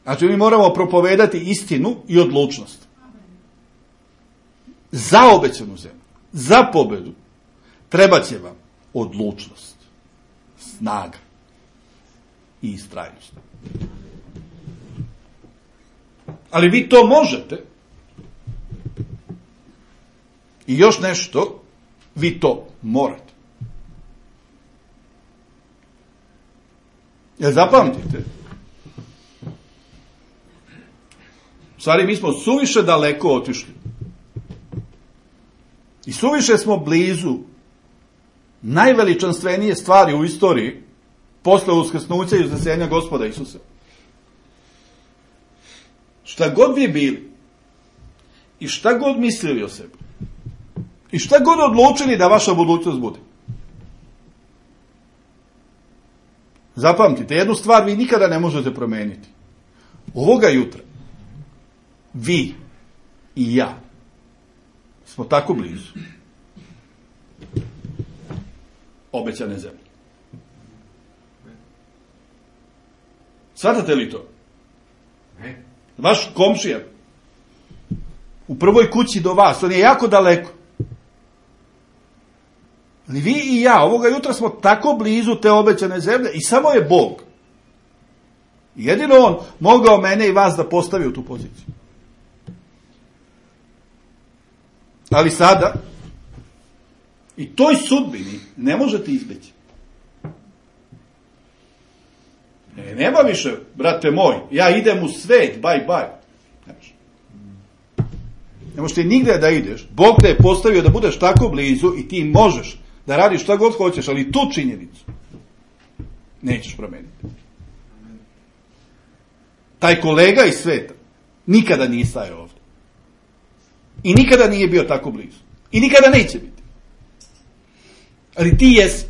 Znači, mi moramo propovedati istinu i odlučnost. Za obećanu zemlju, za pobedu, treba će vam odlučnost, snaga i istrajnost. Ali vi to možete. I još nešto, vi to morate. Jel zapamtite? U stvari, mi smo suviše daleko otišli. I suviše smo blizu najveličanstvenije stvari u istoriji posle uskrsnuća i uznesenja Gospoda Isusa. Šta god vi bili i šta god mislili o sebi i šta god odlučili da vaša budućnost bude. Zapamtite, jednu stvar vi nikada ne možete promeniti. Ovoga jutra vi i ja smo tako blizu obećane zemlje. Shvatate li to? Ne. Vaš komšija u prvoj kući do vas, on je jako daleko. Ali vi i ja ovoga jutra smo tako blizu te obećane zemlje i samo je Bog. Jedino on mogao mene i vas da postavi u tu poziciju. Ali sada i toj sudbini ne možete izbeći. E, nema više, brate moj, ja idem u svet, bye bye. Ne možeš ti nigde da ideš. Bog te je postavio da budeš tako blizu i ti možeš da radiš šta god hoćeš, ali tu činjenicu nećeš promeniti. Taj kolega iz sveta nikada nije stajao ovdje. I nikada nije bio tako blizu. I nikada neće biti. Ali ti jesi.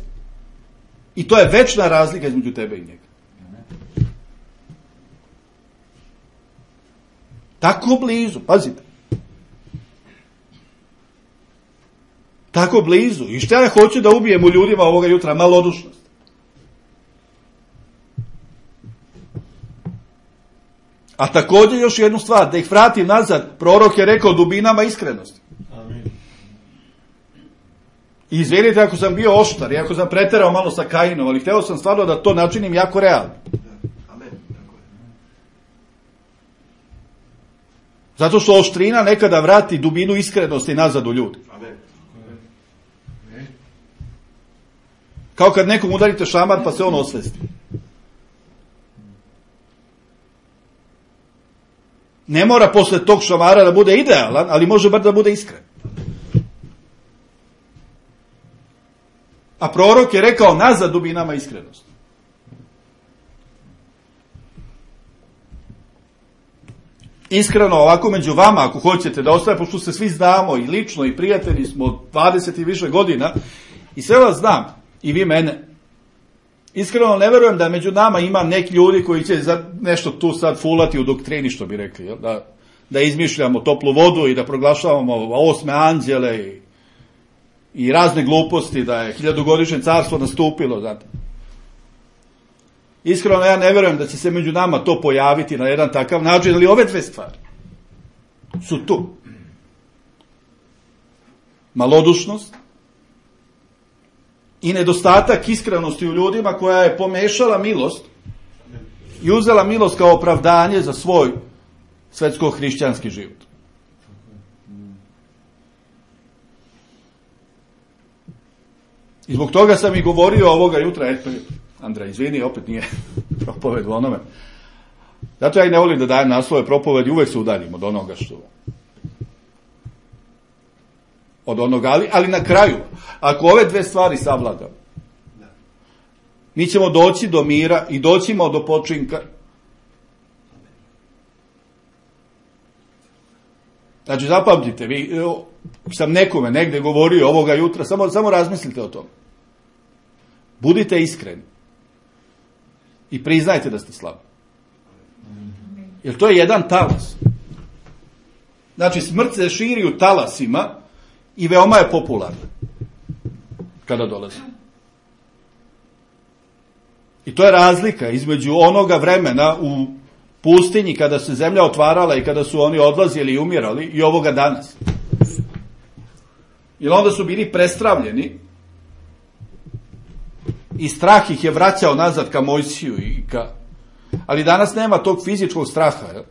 I to je večna razlika između tebe i njega. Tako blizu, pazite. Tako blizu. I šta ja hoću da ubijem u ljudima ovoga jutra? Malodušnost. A također još jednu stvar, da ih vratim nazad, prorok je rekao dubinama iskrenosti. Amin. I izvinite ako sam bio oštar, i ako sam preterao malo sa Kainom, ali hteo sam stvarno da to načinim jako realno. Amen. Tako je. Zato što oštrina nekada vrati dubinu iskrenosti nazad u ljudi. Amen. Ne. Kao kad nekom udarite šamar pa se on osvesti. Ne mora posle tog šamara da bude idealan, ali može bar da bude iskren. A prorok je rekao nazad dubinama iskrenosti. Iskreno, ovako među vama, ako hoćete da ostaje, pošto se svi znamo i lično i prijatelji smo dvadeset i više godina i sve vas znam, i vi mene. Iskreno ne verujem da među nama ima neki ljudi koji će za nešto tu sad fulati u doktrini, što bi rekli, jel? Da, da izmišljamo toplu vodu i da proglašavamo osme anđele i, i razne gluposti, da je hiljadugodišnje carstvo nastupilo, znate. Iskreno ja ne verujem da će se među nama to pojaviti na jedan takav način, ali ove dve stvari su tu. Malodušnost i nedostatak iskrenosti u ljudima koja je pomešala milost i uzela milost kao opravdanje za svoj svetsko-hrišćanski život. I zbog toga sam i govorio ovoga jutra, eto, Andrej, izvini, opet nije propoved u onome. Zato ja i ne volim da dajem naslove propovedi, uvek se udaljim od onoga što... Od onoga, ali, ali na kraju, ako ove dve stvari savladamo, mi ćemo doći do mira i doćimo do počinka. Znači, zapamtite, vi, sam nekome negde govorio ovoga jutra, samo, samo razmislite o tome. Budite iskreni. I priznajte da ste slabi. Jer to je jedan talas. Znači, smrt se širi u talasima i veoma je popularna kada dolazi. I to je razlika između onoga vremena u pustinji kada se zemlja otvarala i kada su oni odlazili i umirali i ovoga danas. Jer onda su bili prestravljeni i strah ih je vraćao nazad ka Mojsiju i ka... Ali danas nema tog fizičkog straha. Je?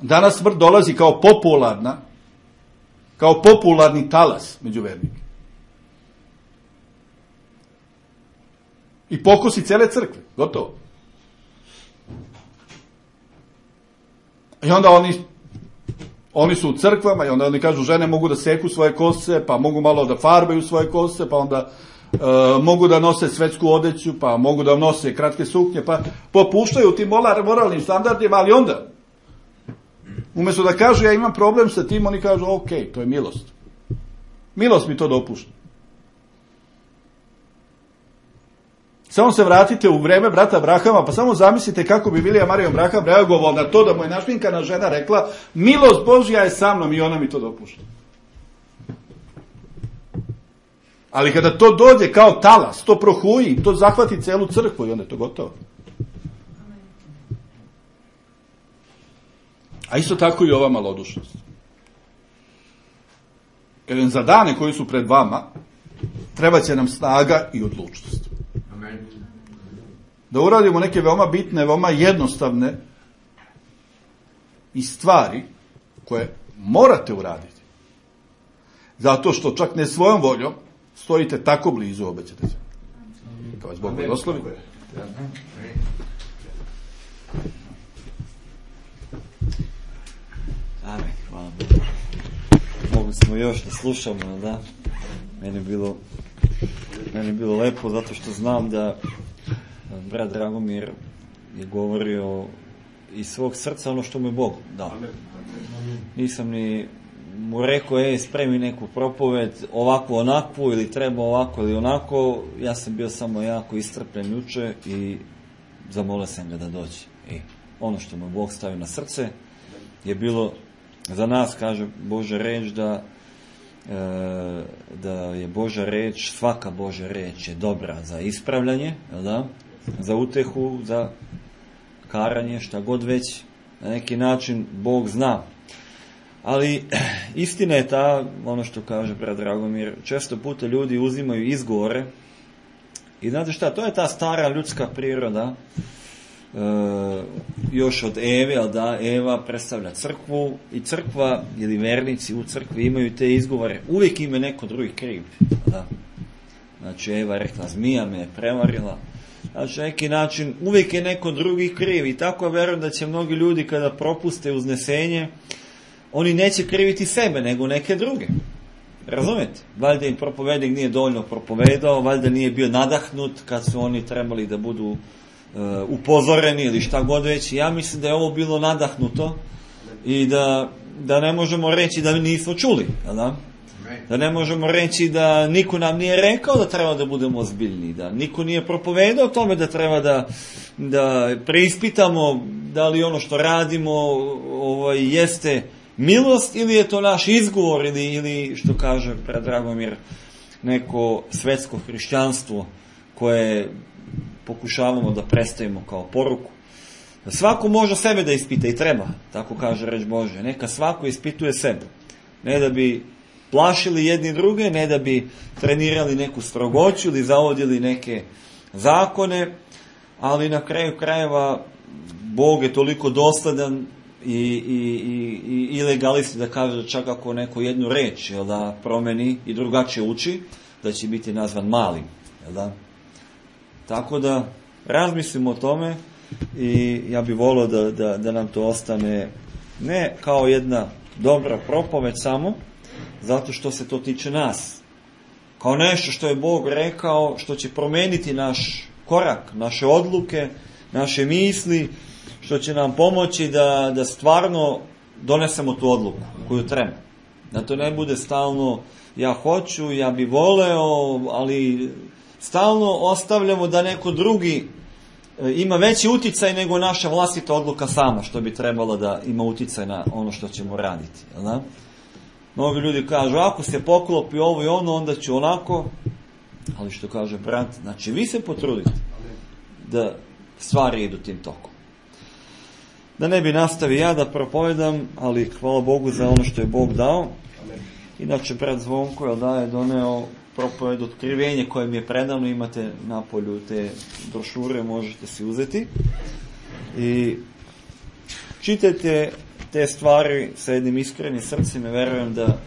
Danas smrt dolazi kao popularna, kao popularni talas među vernike. I pokosi cele crkve. Gotovo. I onda oni oni su u crkvama i onda oni kažu žene mogu da seku svoje kose, pa mogu malo da farbaju svoje kose, pa onda e, mogu da nose svetsku odeću, pa mogu da nose kratke suknje, pa popuštaju tim moralnim standardima, ali onda umjesto da kažu ja imam problem sa tim, oni kažu ok, to je milost. Milost mi to dopušta. Samo se vratite u vreme brata Abrahama, pa samo zamislite kako bi Vilija Marijan Abraham reagovao na to da mu je našminkana žena rekla milost Božja je sa mnom i ona mi to dopušta. Ali kada to dođe kao talas, to prohuji, to zahvati celu crkvu i onda je to gotovo. A isto tako i ova malodušnost. Kažem, za dane koji su pred vama, treba će nam snaga i odlučnost. Da uradimo neke veoma bitne, veoma jednostavne i stvari koje morate uraditi. Zato što čak ne svojom voljom stojite tako blizu obećate se. Kao vas Bog blagoslovi. Amen, hvala Bogu. Mogli smo još da slušamo, da? Meni je bilo, meni je bilo lepo zato što znam da brat Dragomir je govorio iz svog srca ono što mu je Bog dao. Nisam ni mu rekao, ej, spremi neku propoved, ovako, onakvu, ili treba ovako ili onako. Ja sam bio samo jako istrpljen juče i zamolio sam ga da dođe. I ono što mu Bog stavio na srce je bilo za nas, kaže Božja reč, da e, da je Božja reč, svaka Božja reč je dobra za ispravljanje, da? Za utehu, za karanje, šta god već, na neki način Bog zna. Ali istina je ta, ono što kaže brat Dragomir, često puta ljudi uzimaju izgovore i znate šta, to je ta stara ljudska priroda, e, još od Eve, ali da, Eva predstavlja crkvu i crkva ili vernici u crkvi imaju te izgovore, uvijek im je neko drugi kriv, da. Znači Eva je rekla, zmija me je prevarila. Znači, neki način, uvijek je neko drugi kriv i tako verujem da će mnogi ljudi kada propuste uznesenje, oni neće kriviti sebe, nego neke druge. Razumete? Valjda im propovednik nije dovoljno propovedao, valjda nije bio nadahnut kad su oni trebali da budu uh, upozoreni ili šta god već. Ja mislim da je ovo bilo nadahnuto i da, da ne možemo reći da nismo čuli, da? Da ne možemo reći da niko nam nije rekao da treba da budemo ozbiljni, da niko nije propovedao o tome da treba da, da preispitamo da li ono što radimo ovaj, jeste milost ili je to naš izgovor ili, ili što kaže brat Dragomir, neko svetsko hrišćanstvo koje pokušavamo da predstavimo kao poruku. Da svako može sebe da ispita i treba, tako kaže reč Božja. Neka svako ispituje sebe. Ne da bi plašili jedni druge, ne da bi trenirali neku strogoću ili zavodili neke zakone, ali na kraju krajeva Bog je toliko dosledan i, i, i, i legalisti da kaže da čak ako neko jednu reč, jel da, promeni i drugačije uči, da će biti nazvan malim, jel da? Tako da razmislimo o tome i ja bih volio da, da, da nam to ostane ne kao jedna dobra propoved samo, zato što se to tiče nas. Kao nešto što je Bog rekao, što će promeniti naš korak, naše odluke, naše misli, što će nam pomoći da, da stvarno donesemo tu odluku koju treba. Da to ne bude stalno ja hoću, ja bi voleo, ali stalno ostavljamo da neko drugi ima veći uticaj nego naša vlastita odluka sama, što bi trebalo da ima uticaj na ono što ćemo raditi. Jel da? Mnogi ljudi kažu, ako se poklopi ovo i ono, onda ću onako, ali što kaže brat, znači vi se potrudite da stvari idu tim tokom. Da ne bi nastavio ja da propovedam, ali hvala Bogu za ono što je Bog dao. Inače, brat Zvonko je da je doneo propoved otkrivenje koje mi je predano, imate na polju te brošure, možete si uzeti. I čitajte te stvari sa jednim iskrenim srcem i verujem da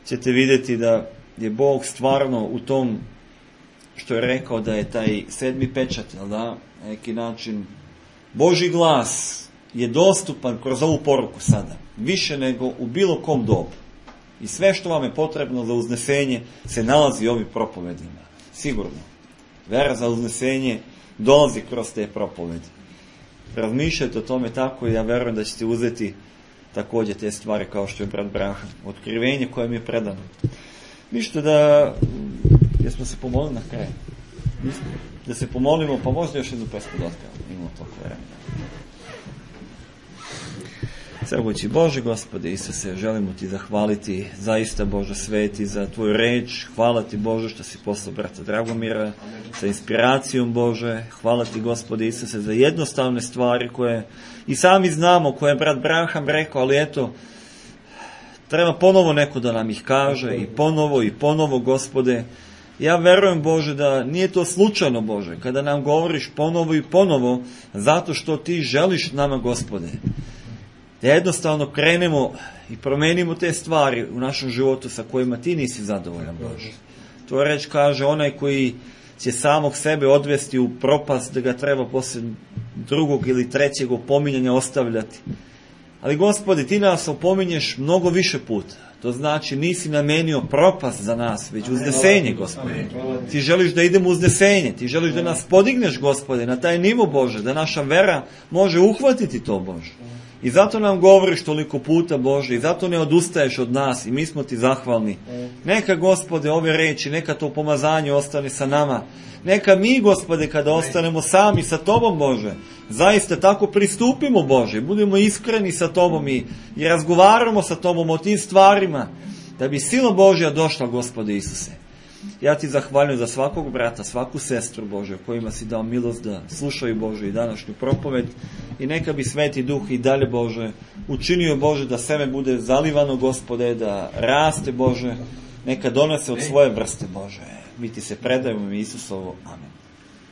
ćete vidjeti da je Bog stvarno u tom što je rekao da je taj sedmi pečat, jel da, na neki način Božji glas je dostupan kroz ovu poruku sada, više nego u bilo kom dobu. I sve što vam je potrebno za uznesenje se nalazi u ovim propovedima. Sigurno. Vera za uznesenje dolazi kroz te propovedi. Razmišljajte o tome tako i ja verujem da ćete uzeti također te stvari kao što je brat Braham. Otkrivenje koje mi je predano. Ništa da... Jesmo se pomolili na kraju? Da se pomolimo, pa možda još jednu pesmu da otkrijemo. Imamo toliko vremena. Svemogući Bože, Gospode Isuse, želimo Ti zahvaliti zaista, Bože sveti, za Tvoju reč. Hvala Ti, Bože, što si poslao brata Dragomira sa inspiracijom, Bože. Hvala Ti, Gospode Isuse, za jednostavne stvari koje i sami znamo, koje je brat Braham rekao, ali eto, treba ponovo neko da nam ih kaže i ponovo i ponovo, Gospode. Ja verujem, Bože, da nije to slučajno, Bože, kada nam govoriš ponovo i ponovo, zato što Ti želiš nama, Gospode, da jednostavno krenemo i promenimo te stvari u našem životu sa kojima Ti nisi zadovoljan, Bože. To reč kaže, onaj koji će samog sebe odvesti u propast, da ga treba posle drugog ili trećeg opominjanja ostavljati. Ali, Gospode, Ti nas opominješ mnogo više puta. To znači nisi namenio propast za nas, već uznesenje, Gospode. Ti želiš da idemo uznesenje, Ti želiš da nas podigneš, Gospode, na taj nivo, Bože, da naša vera može uhvatiti to, Bože. I zato nam govoriš toliko puta, Bože, i zato ne odustaješ od nas i mi smo Ti zahvalni. Neka, Gospode, ove reči, neka to pomazanje ostane sa nama. Neka mi, Gospode, kada ostanemo sami sa Tobom, Bože, zaista tako pristupimo, Bože, budemo iskreni sa Tobom i, i razgovaramo sa Tobom o tim stvarima, da bi sila Božja došla, Gospode Isuse. Ja Ti zahvaljujem za svakog brata, svaku sestru, Bože, kojima si dao milost da slušaju, Bože, i današnju propoved. I neka bi Sveti Duh i dalje, Bože, učinio, Bože, da seme bude zalivano, Gospode, da raste, Bože, neka donese od svoje vrste, Bože. Mi Ti se predajemo, Isusovo. Amen.